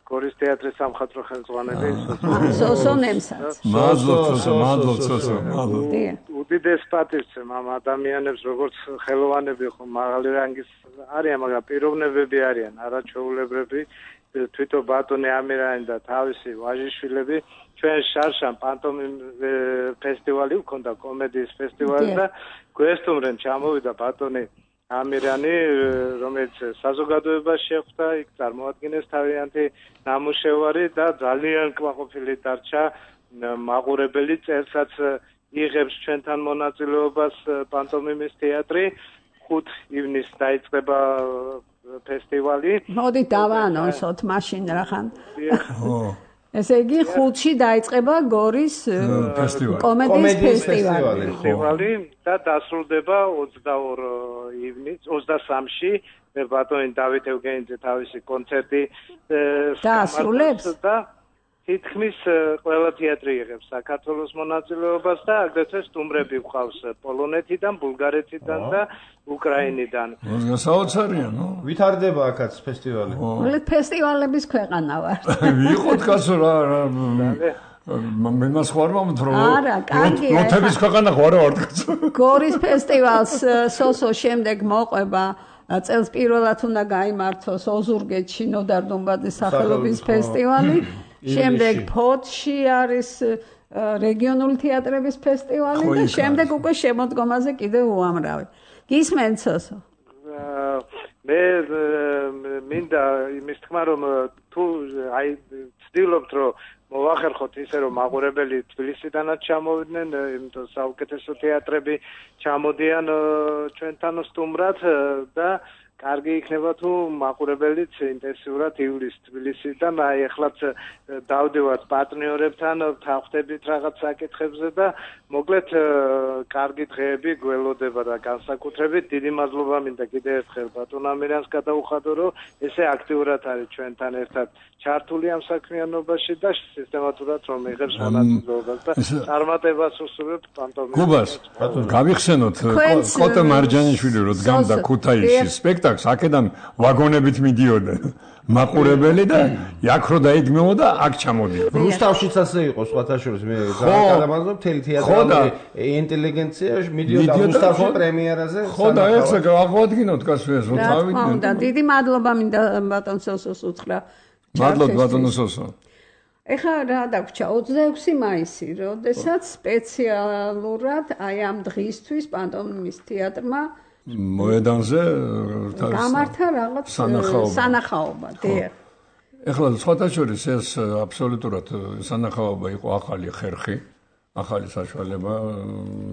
S5: გორის თეატრის სამხატვრო ხელმძღვანელი
S2: სოსონემსაც
S3: მადლობთ
S5: უდიდეს პატივცემ ამ ადამიანებს როგორც ხელოვანები ხომ მაღალი რანგის არიან მაგრამ პიროვნებები არიან არაჩვეულებრივი თვითონ ბატონი ამირანი და თავისი ვაჟიშვილები ჩვენ შარშან პანტომიმ ფესტივალი უქონდა კომედიის ფესტივალი და გვესტუმრენ ჩამოვიდა ბატონი ამირანი რომელიც საზოგადოებას შეხვდა იქ წარმოადგენეს თავიანთი ნამუშევარი და ძალიან კმაყოფილი დარჩა მაყურებელი წერსაც იღებს ჩვენთან მონაწილეობას პანტომიმის თეატრი 5 ივნისს დაიწყება ფესტივალი.
S2: მოდით დავაანონსოთ მაშინ რახან. ესე იგი 5-ში დაიწყება გორის კომედიის ფესტივალი
S5: და დასრულდება 22 ივნისს 23-ში მე ბატონი დავით ევგენიძე თავისი კონცერტი
S2: დასრულებს
S5: და თითქმის ყველა თეატრი იღებს საქართველოს მონაწილეობას და აგრეთვე სტუმრები გვყავს პოლონეთიდან, ბულგარეთიდან და უკრაინიდან.
S3: საოცარია, ნო?
S1: ვითარდება აქაც ფესტივალი.
S2: მოკლედ ფესტივალების ქვეყანა ვარ.
S3: ვიყოთ კაცო რა მე მას ხوار მომთრო.
S2: არა, კარგია.
S3: ნოთების ქვეყანა ხوار ვარ კაცო.
S2: გორის ფესტივალს სოსო შემდეგ მოყვება წელს პირველად უნდა გაიმართოს ოზურგეთში ნოდარ დუმბაძის სახელობის ფესტივალი. შემდეგ ფოთში არის რეგიონული თეატრების ფესტივალი და შემდეგ უკვე შემოდგომაზე კიდევ უამრავი. გისმენთ სოსო?
S5: მე მინდა იმის თქმა რომ თუ აი ვცდილობთ რომ მოვახერხოთ ისე რომ მაყურებელი თბილისიდანაც ჩამოვიდნენ, იმიტომ საუკეთესო თეატრები ჩამოდიან ჩვენთან სტუმრად და კარგი იქნება თუ მაყურებელიც ინტენსიურად ივლის თბილისიდან, აი ეხლაც დავდივართ პარტნიორებთან, ვთანხმდებით რაღაც საკითხებზე და მოკლედ კარგი დღეები გველოდება და განსაკუთრებით დიდი მადლობა მინდა კიდევ ერთხელ ბატონ ამირანს გადაუხადო, რომ ესე აქტიურად არის ჩვენთან ერთად ჩართული ამ საქმიანობაში და სისტემატურად რომ იღებს მონაწილეობას და წარმატებას უსურვებ პანტომიმას.
S3: გუბას გავიხსენოთ კოტე მარჯანიშვილი რო დგამდა ქუთაისში სპექტაკლს, აქედან ვაგონებით მიდიოდა მაყურებელი და აქ რო დაიგმეოდა, აქ ჩამოდიოდა.
S1: რუსთავშიც ასე იყო სხვათა შორის, მე გადამაგზავნე მთელი თეატრალური ინტელიგენცია მიდიოდა რუსთავში პრემიერაზე.
S3: ხო და ეხლა აღვადგინოთ კაცებს, რომ
S2: თავიდან. და დიდი მადლობა მინდა ბატონ სოსოს უთხრა.
S3: მადლობა ბატონ სოსო.
S2: ეხლა რა დაგვრჩა 26 მაისი, როდესაც სპეციალურად აი ამ დღისთვის პანტომიმის თეატრმა
S3: მოედანზე
S2: გამართა რაღაც სანახაობა, დიახ.
S3: ეხლა სხვათა შორის ეს აბსოლუტურად სანახაობა იყო ახალი ხერხი, ახალი საშუალება.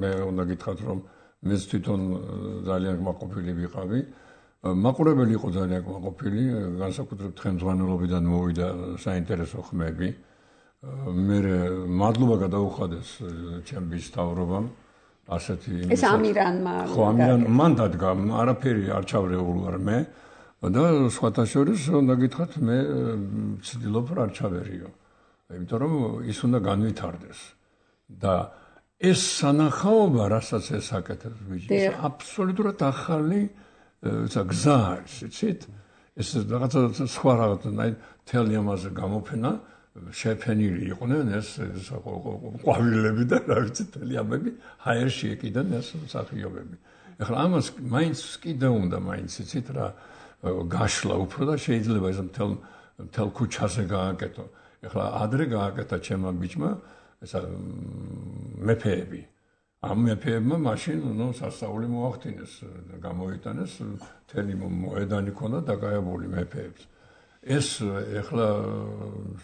S3: მე უნდა გითხრათ, რომ მეც თვითონ ძალიან კმაყოფილი ვიყავი. მაყურებელი იყო ძალიან კმაყოფილი, განსაკუთრებით ხელმძღვანელობიდან მოვიდა საინტერესო ხმები. მე მადლობა გადაუხადეს ჩემს მთავრობამ. ასეთი
S2: ეს ამირანმა
S3: ხო ამირან მან დადგა, არაფერი არ ჩავრეულ ვარ მე და სხვათა შორის უნდა გითხრათ მე ვცდილობ რა არ ჩავერიო. იმიტომ რომ ის უნდა განვითარდეს და ეს სანახაობა, რასაც ეს აკეთებს ბიჭი, აბსოლუტურად ახალი გზა არის, იცით? ეს რაღაცა სხვა რაღაცა, აი თელი ამაზე გამოფენა შეფენილი იყვნენ ეს ყვავილები და რა ვიცი თელი ამები ჰაერში ეკიდნენ ეს მსახიობები. ეხლა ამას მაინც კიდე უნდა მაინც იცით რა გაშლა უფრო და შეიძლება ეს მთელ ქუჩაზე გააკეთო. ეხლა ადრე გააკეთა ჩემმა ბიჭმა ესა მეფეები. ამ მეფეებმა მაშინ ნუ სასწაული მოახდინეს, გამოიტანეს მთელი მოედანი ქონდა დაკავებული მეფეებს. ეს ეხლა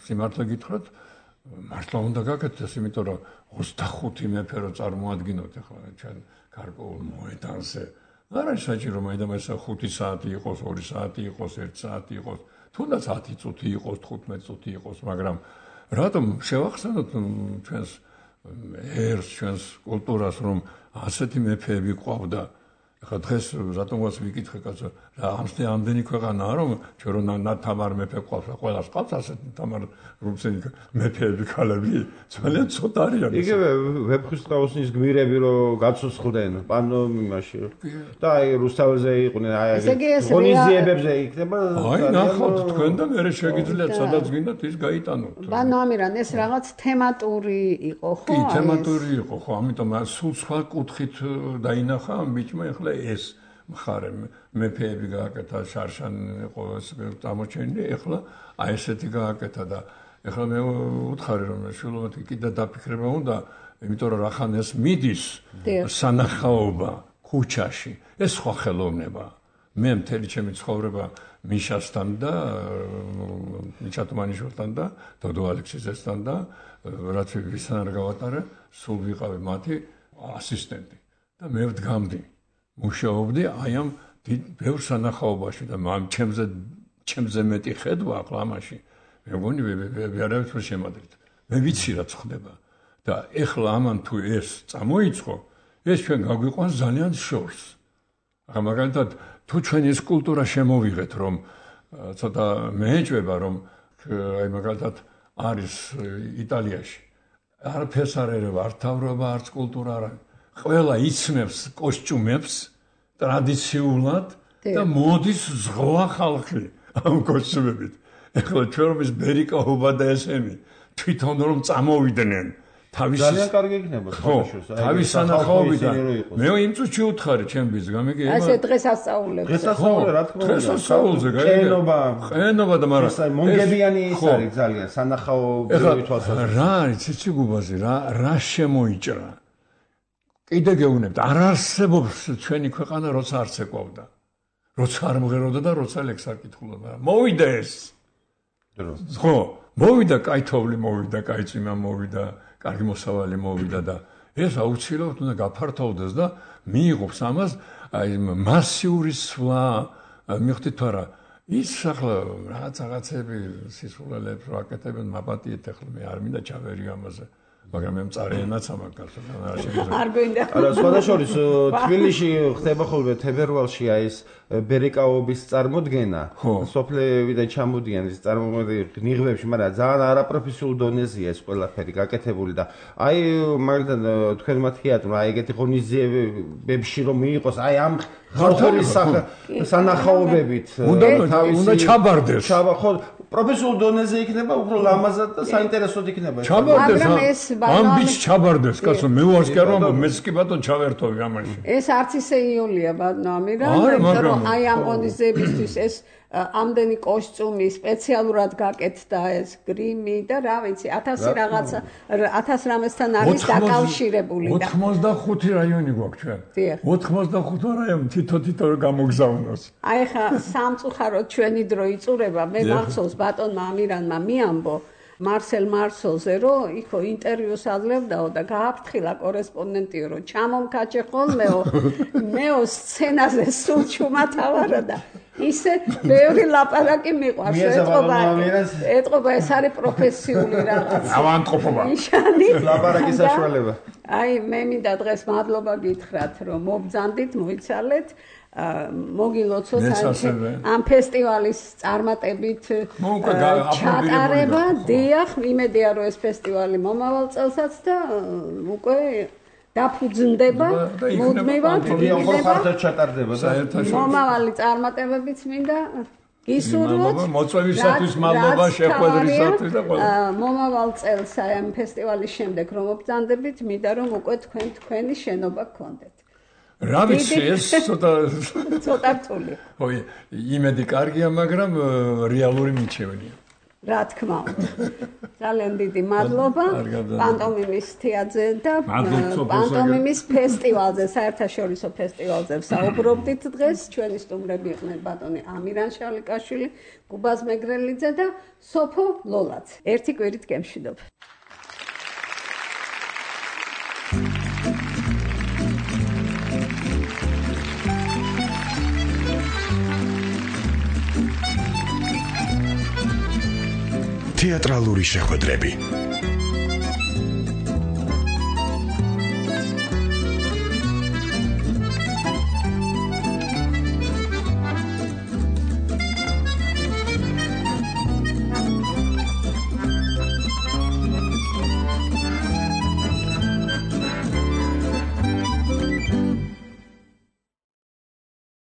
S3: სიმართლე გითხრათ, მართლა უნდა გაკეთდეს, იმიტომ რომ 25 მეფე რო წარმოადგინოთ ეხლა ჩვენ გარკვეულ მოედანზე. არ არის საჭირო მაინდა-მაინც 5 საათი იყოს, 2 საათი იყოს, 1 საათი იყოს, თუნდაც 10 წუთი იყოს, 15 წუთი იყოს, მაგრამ რატომ შევახსენოთ ჩვენს ერს, ჩვენს კულტურას, რომ ასეთი მეფეები ყავდა. ეხლა დღეს რატომაც ვიკითხე კაცო, რა ამდენი ქვეყანაა, რომ ჩვენ რო თამარ მეფე ყავს, ყველას ყავს ასეთი თამარ რუსენი მეფეები ქალები, ძალიან ცოტა არიან.
S1: იგივე ვეფხისტყაოსნის გმირები რო გაცოცხლდნენ პანტომიმაში და აი რუსთაველზე იყვნენ, აი ღონისძიებებზე იქნება.
S3: აი ნახავთ თქვენ და მე შეგიძლიათ სადაც გინდათ ის გაიტანოთ.
S2: ბანო ამირან ეს რაღაც თემატური იყო, ხო?
S3: კი, თემატური იყო, ხო, ამიტომ სულ სხვა კუთხით დაინახა ამ ბიჭმა ეხლა ეს მხარე მეფეები გააკეთა, შარშანი იყო წამოჩენილი, ეხლა აი ესეთი გააკეთა და ეხლა მე უთხარი რომ შულობათი კიდე დაფიქრება უნდა, იმიტომ რომ რახან ეს მიდის სანახაობა ქუჩაში, ეს სხვა ხელოვნება. მე მთელი ჩემი ცხოვრება მიშასთან და ნიჩატმანიშვილთან და დოდო ალექსიძესთან და რაც ვისთან არ გავატარე, სულ ვიყავი მათი ასისტენტი და მე ვდგამდი. მუშაობდი აი ამ ბევრ სანახაობაში და ჩემზე მეტი ხედვა ახლა ამაში მე მგონი ვერავით ვერ შემադրით. მე ვიცი რაც ხდება და ეხლა ამან თუ ეს წამოიწყო, ეს ჩვენ გაგვიყვანს ძალიან შორს. ახლა მაგალითად თუ ჩვენ ეს კულტურა შემოვიღეთ, რომ ცოტა მეეჭვება, რომ აი მაგალითად არის იტალიაში არაფერს არ ერევა, არ თავრობა, არც კულტურა არ არის. ყველა იცნობს კოსტიუმებს ტრადიციულად და მოდის ზღვა ხალხი ამ კოსტიუმებით. ეხლა ჩვენ რომ ეს ბერიკაობა და ესენი თვითონ რომ წამოვიდნენ თავის
S1: ძალიან კარგი იქნება
S3: ხოშოს. თავის სანახაობიდან მე იმ წუთში უთხარი ჩემს გამიგე
S2: ასე დღესასწაულებს.
S1: დღესასწაულზე რა თქმა უნდა.
S3: დღესასწაულზე ყენობა და მაგრამ
S1: მონგებიანი ის არის ძალიან სანახაობრივი თვალსაზრისით.
S3: რა არის ციცი გუბაზე რა შემოიჭრა. კიდე გეუბნებთ, არ არსებობს ჩვენი ქვეყანა, როცა არ ცეკვავდა. როცა არ მღეროდა და როცა ლექს არ კითხულობდა. მოვიდა ეს. ხო, მოვიდა კაი თოვლი, მოვიდა კაი წვიმა, მოვიდა კარგი მოსავალი, მოვიდა და ეს აუცილებლად უნდა გაფართოვდეს და მიიღოს ამას აი მასიური სვლა მიხვდით არა ის ახლა რაღაცები სისულელებს რო აკეთებენ მაპატიეთ ახლა მე არ მინდა ჩავერი ამაზე მაგრამ მე მწარეენაც ამაკაც
S2: არ გვინდა
S1: არა სხვადასხვა თბილისში ხდება ხოლმე თებერვალში აი ეს ბერეკაობის წარმოდგენა სოფლევიდან ჩამოდიან ეს წარმოდგენა ნიღბებში მაგრამ ძალიან არაპროფესიულ დონეზეა ეს ყველაფერი გაკეთებული და აი მაგდან თქვენმა თეატრმა აი ეგეთი ღონისძიებებში რომ მიიღოს აი ამ ხალხური სანახაობებით
S3: უნდა ჩაბარდეს
S1: ხო პროფესიულ დონეზე იქნება უფრო ლამაზად და საინტერესოდ იქნება
S3: ჩაბარდეს ამ ბიჭ ჩაბარდეს კაცო მე ვარ კი არა მეც კი ბატონ ჩავერთოვი ამაში
S2: ეს არც ისე იოლია ბატონო ამირან რომ აი ამ ღონისძიებისთვის ეს ამდენი კოსტიუმი სპეციალურად გაკეთდა ეს გრიმი და რა ვიცი 1000 რაღაცა 1000 რამესთან არის დაკავშირებული
S3: და 85 რაიონი გვაქვს ჩვენ 85 რაიონი თითო გამოგზავნოს
S2: აი ხა სამწუხაროდ ჩვენი დრო იწურება მე მახსოვს ბატონმა ამირანმა მიამბო მარსელ მარსოლზე რომ იქო ინტერვიუს აძლევდაო და გააფრთხილა კორესპონდენტიო რომ ჩამომკაჭე ხოლმეო მეო სცენაზე სულ ჩუმათავარა და ისე ბევრი ლაპარაკი მიყვარს ეტყობა ეს არის პროფესიული რაღაც
S3: ავანტყოფობა
S2: ნიშანი
S1: ლაპარაკის საშუალება
S2: აი მე მინდა დღეს მადლობა გითხრათ რომ მობძანდით მოიცალეთ მოგილოცოთ ამ ფესტივალის წარმატებით ჩატარება დიახ იმედია რომ ეს ფესტივალი მომავალ წელსაც და უკვე დაფუძნდება მუდმივად მომავალი წარმატებებიც მინდა გისურვოთ
S3: მოწვევისათვის მადლობა შეხვედრისათვის და ყველა
S2: მომავალ წელს აი ამ ფესტივალის შემდეგ რომ მობძანდებით მინდა რომ უკვე თქვენი შენობა გქონდეთ
S3: რა ვიცი ეს
S2: ცოტა რთული
S3: ხო იმედი კარგია მაგრამ რეალური მიჩვენია
S2: რა თქმა უნდა ძალიან დიდი მადლობა პანტომიმის თეატრზე და პანტომიმის ფესტივალზე საერთაშორისო ფესტივალზე საუბრობდით დღეს ჩვენი სტუმრები იყვნენ ბატონი ამირან შალიკაშვილი გუბაზ მეგრელიძე და სოფო ლოლაც ერთი კვირით გემშვიდობ
S6: თეატრალური შეხვედრები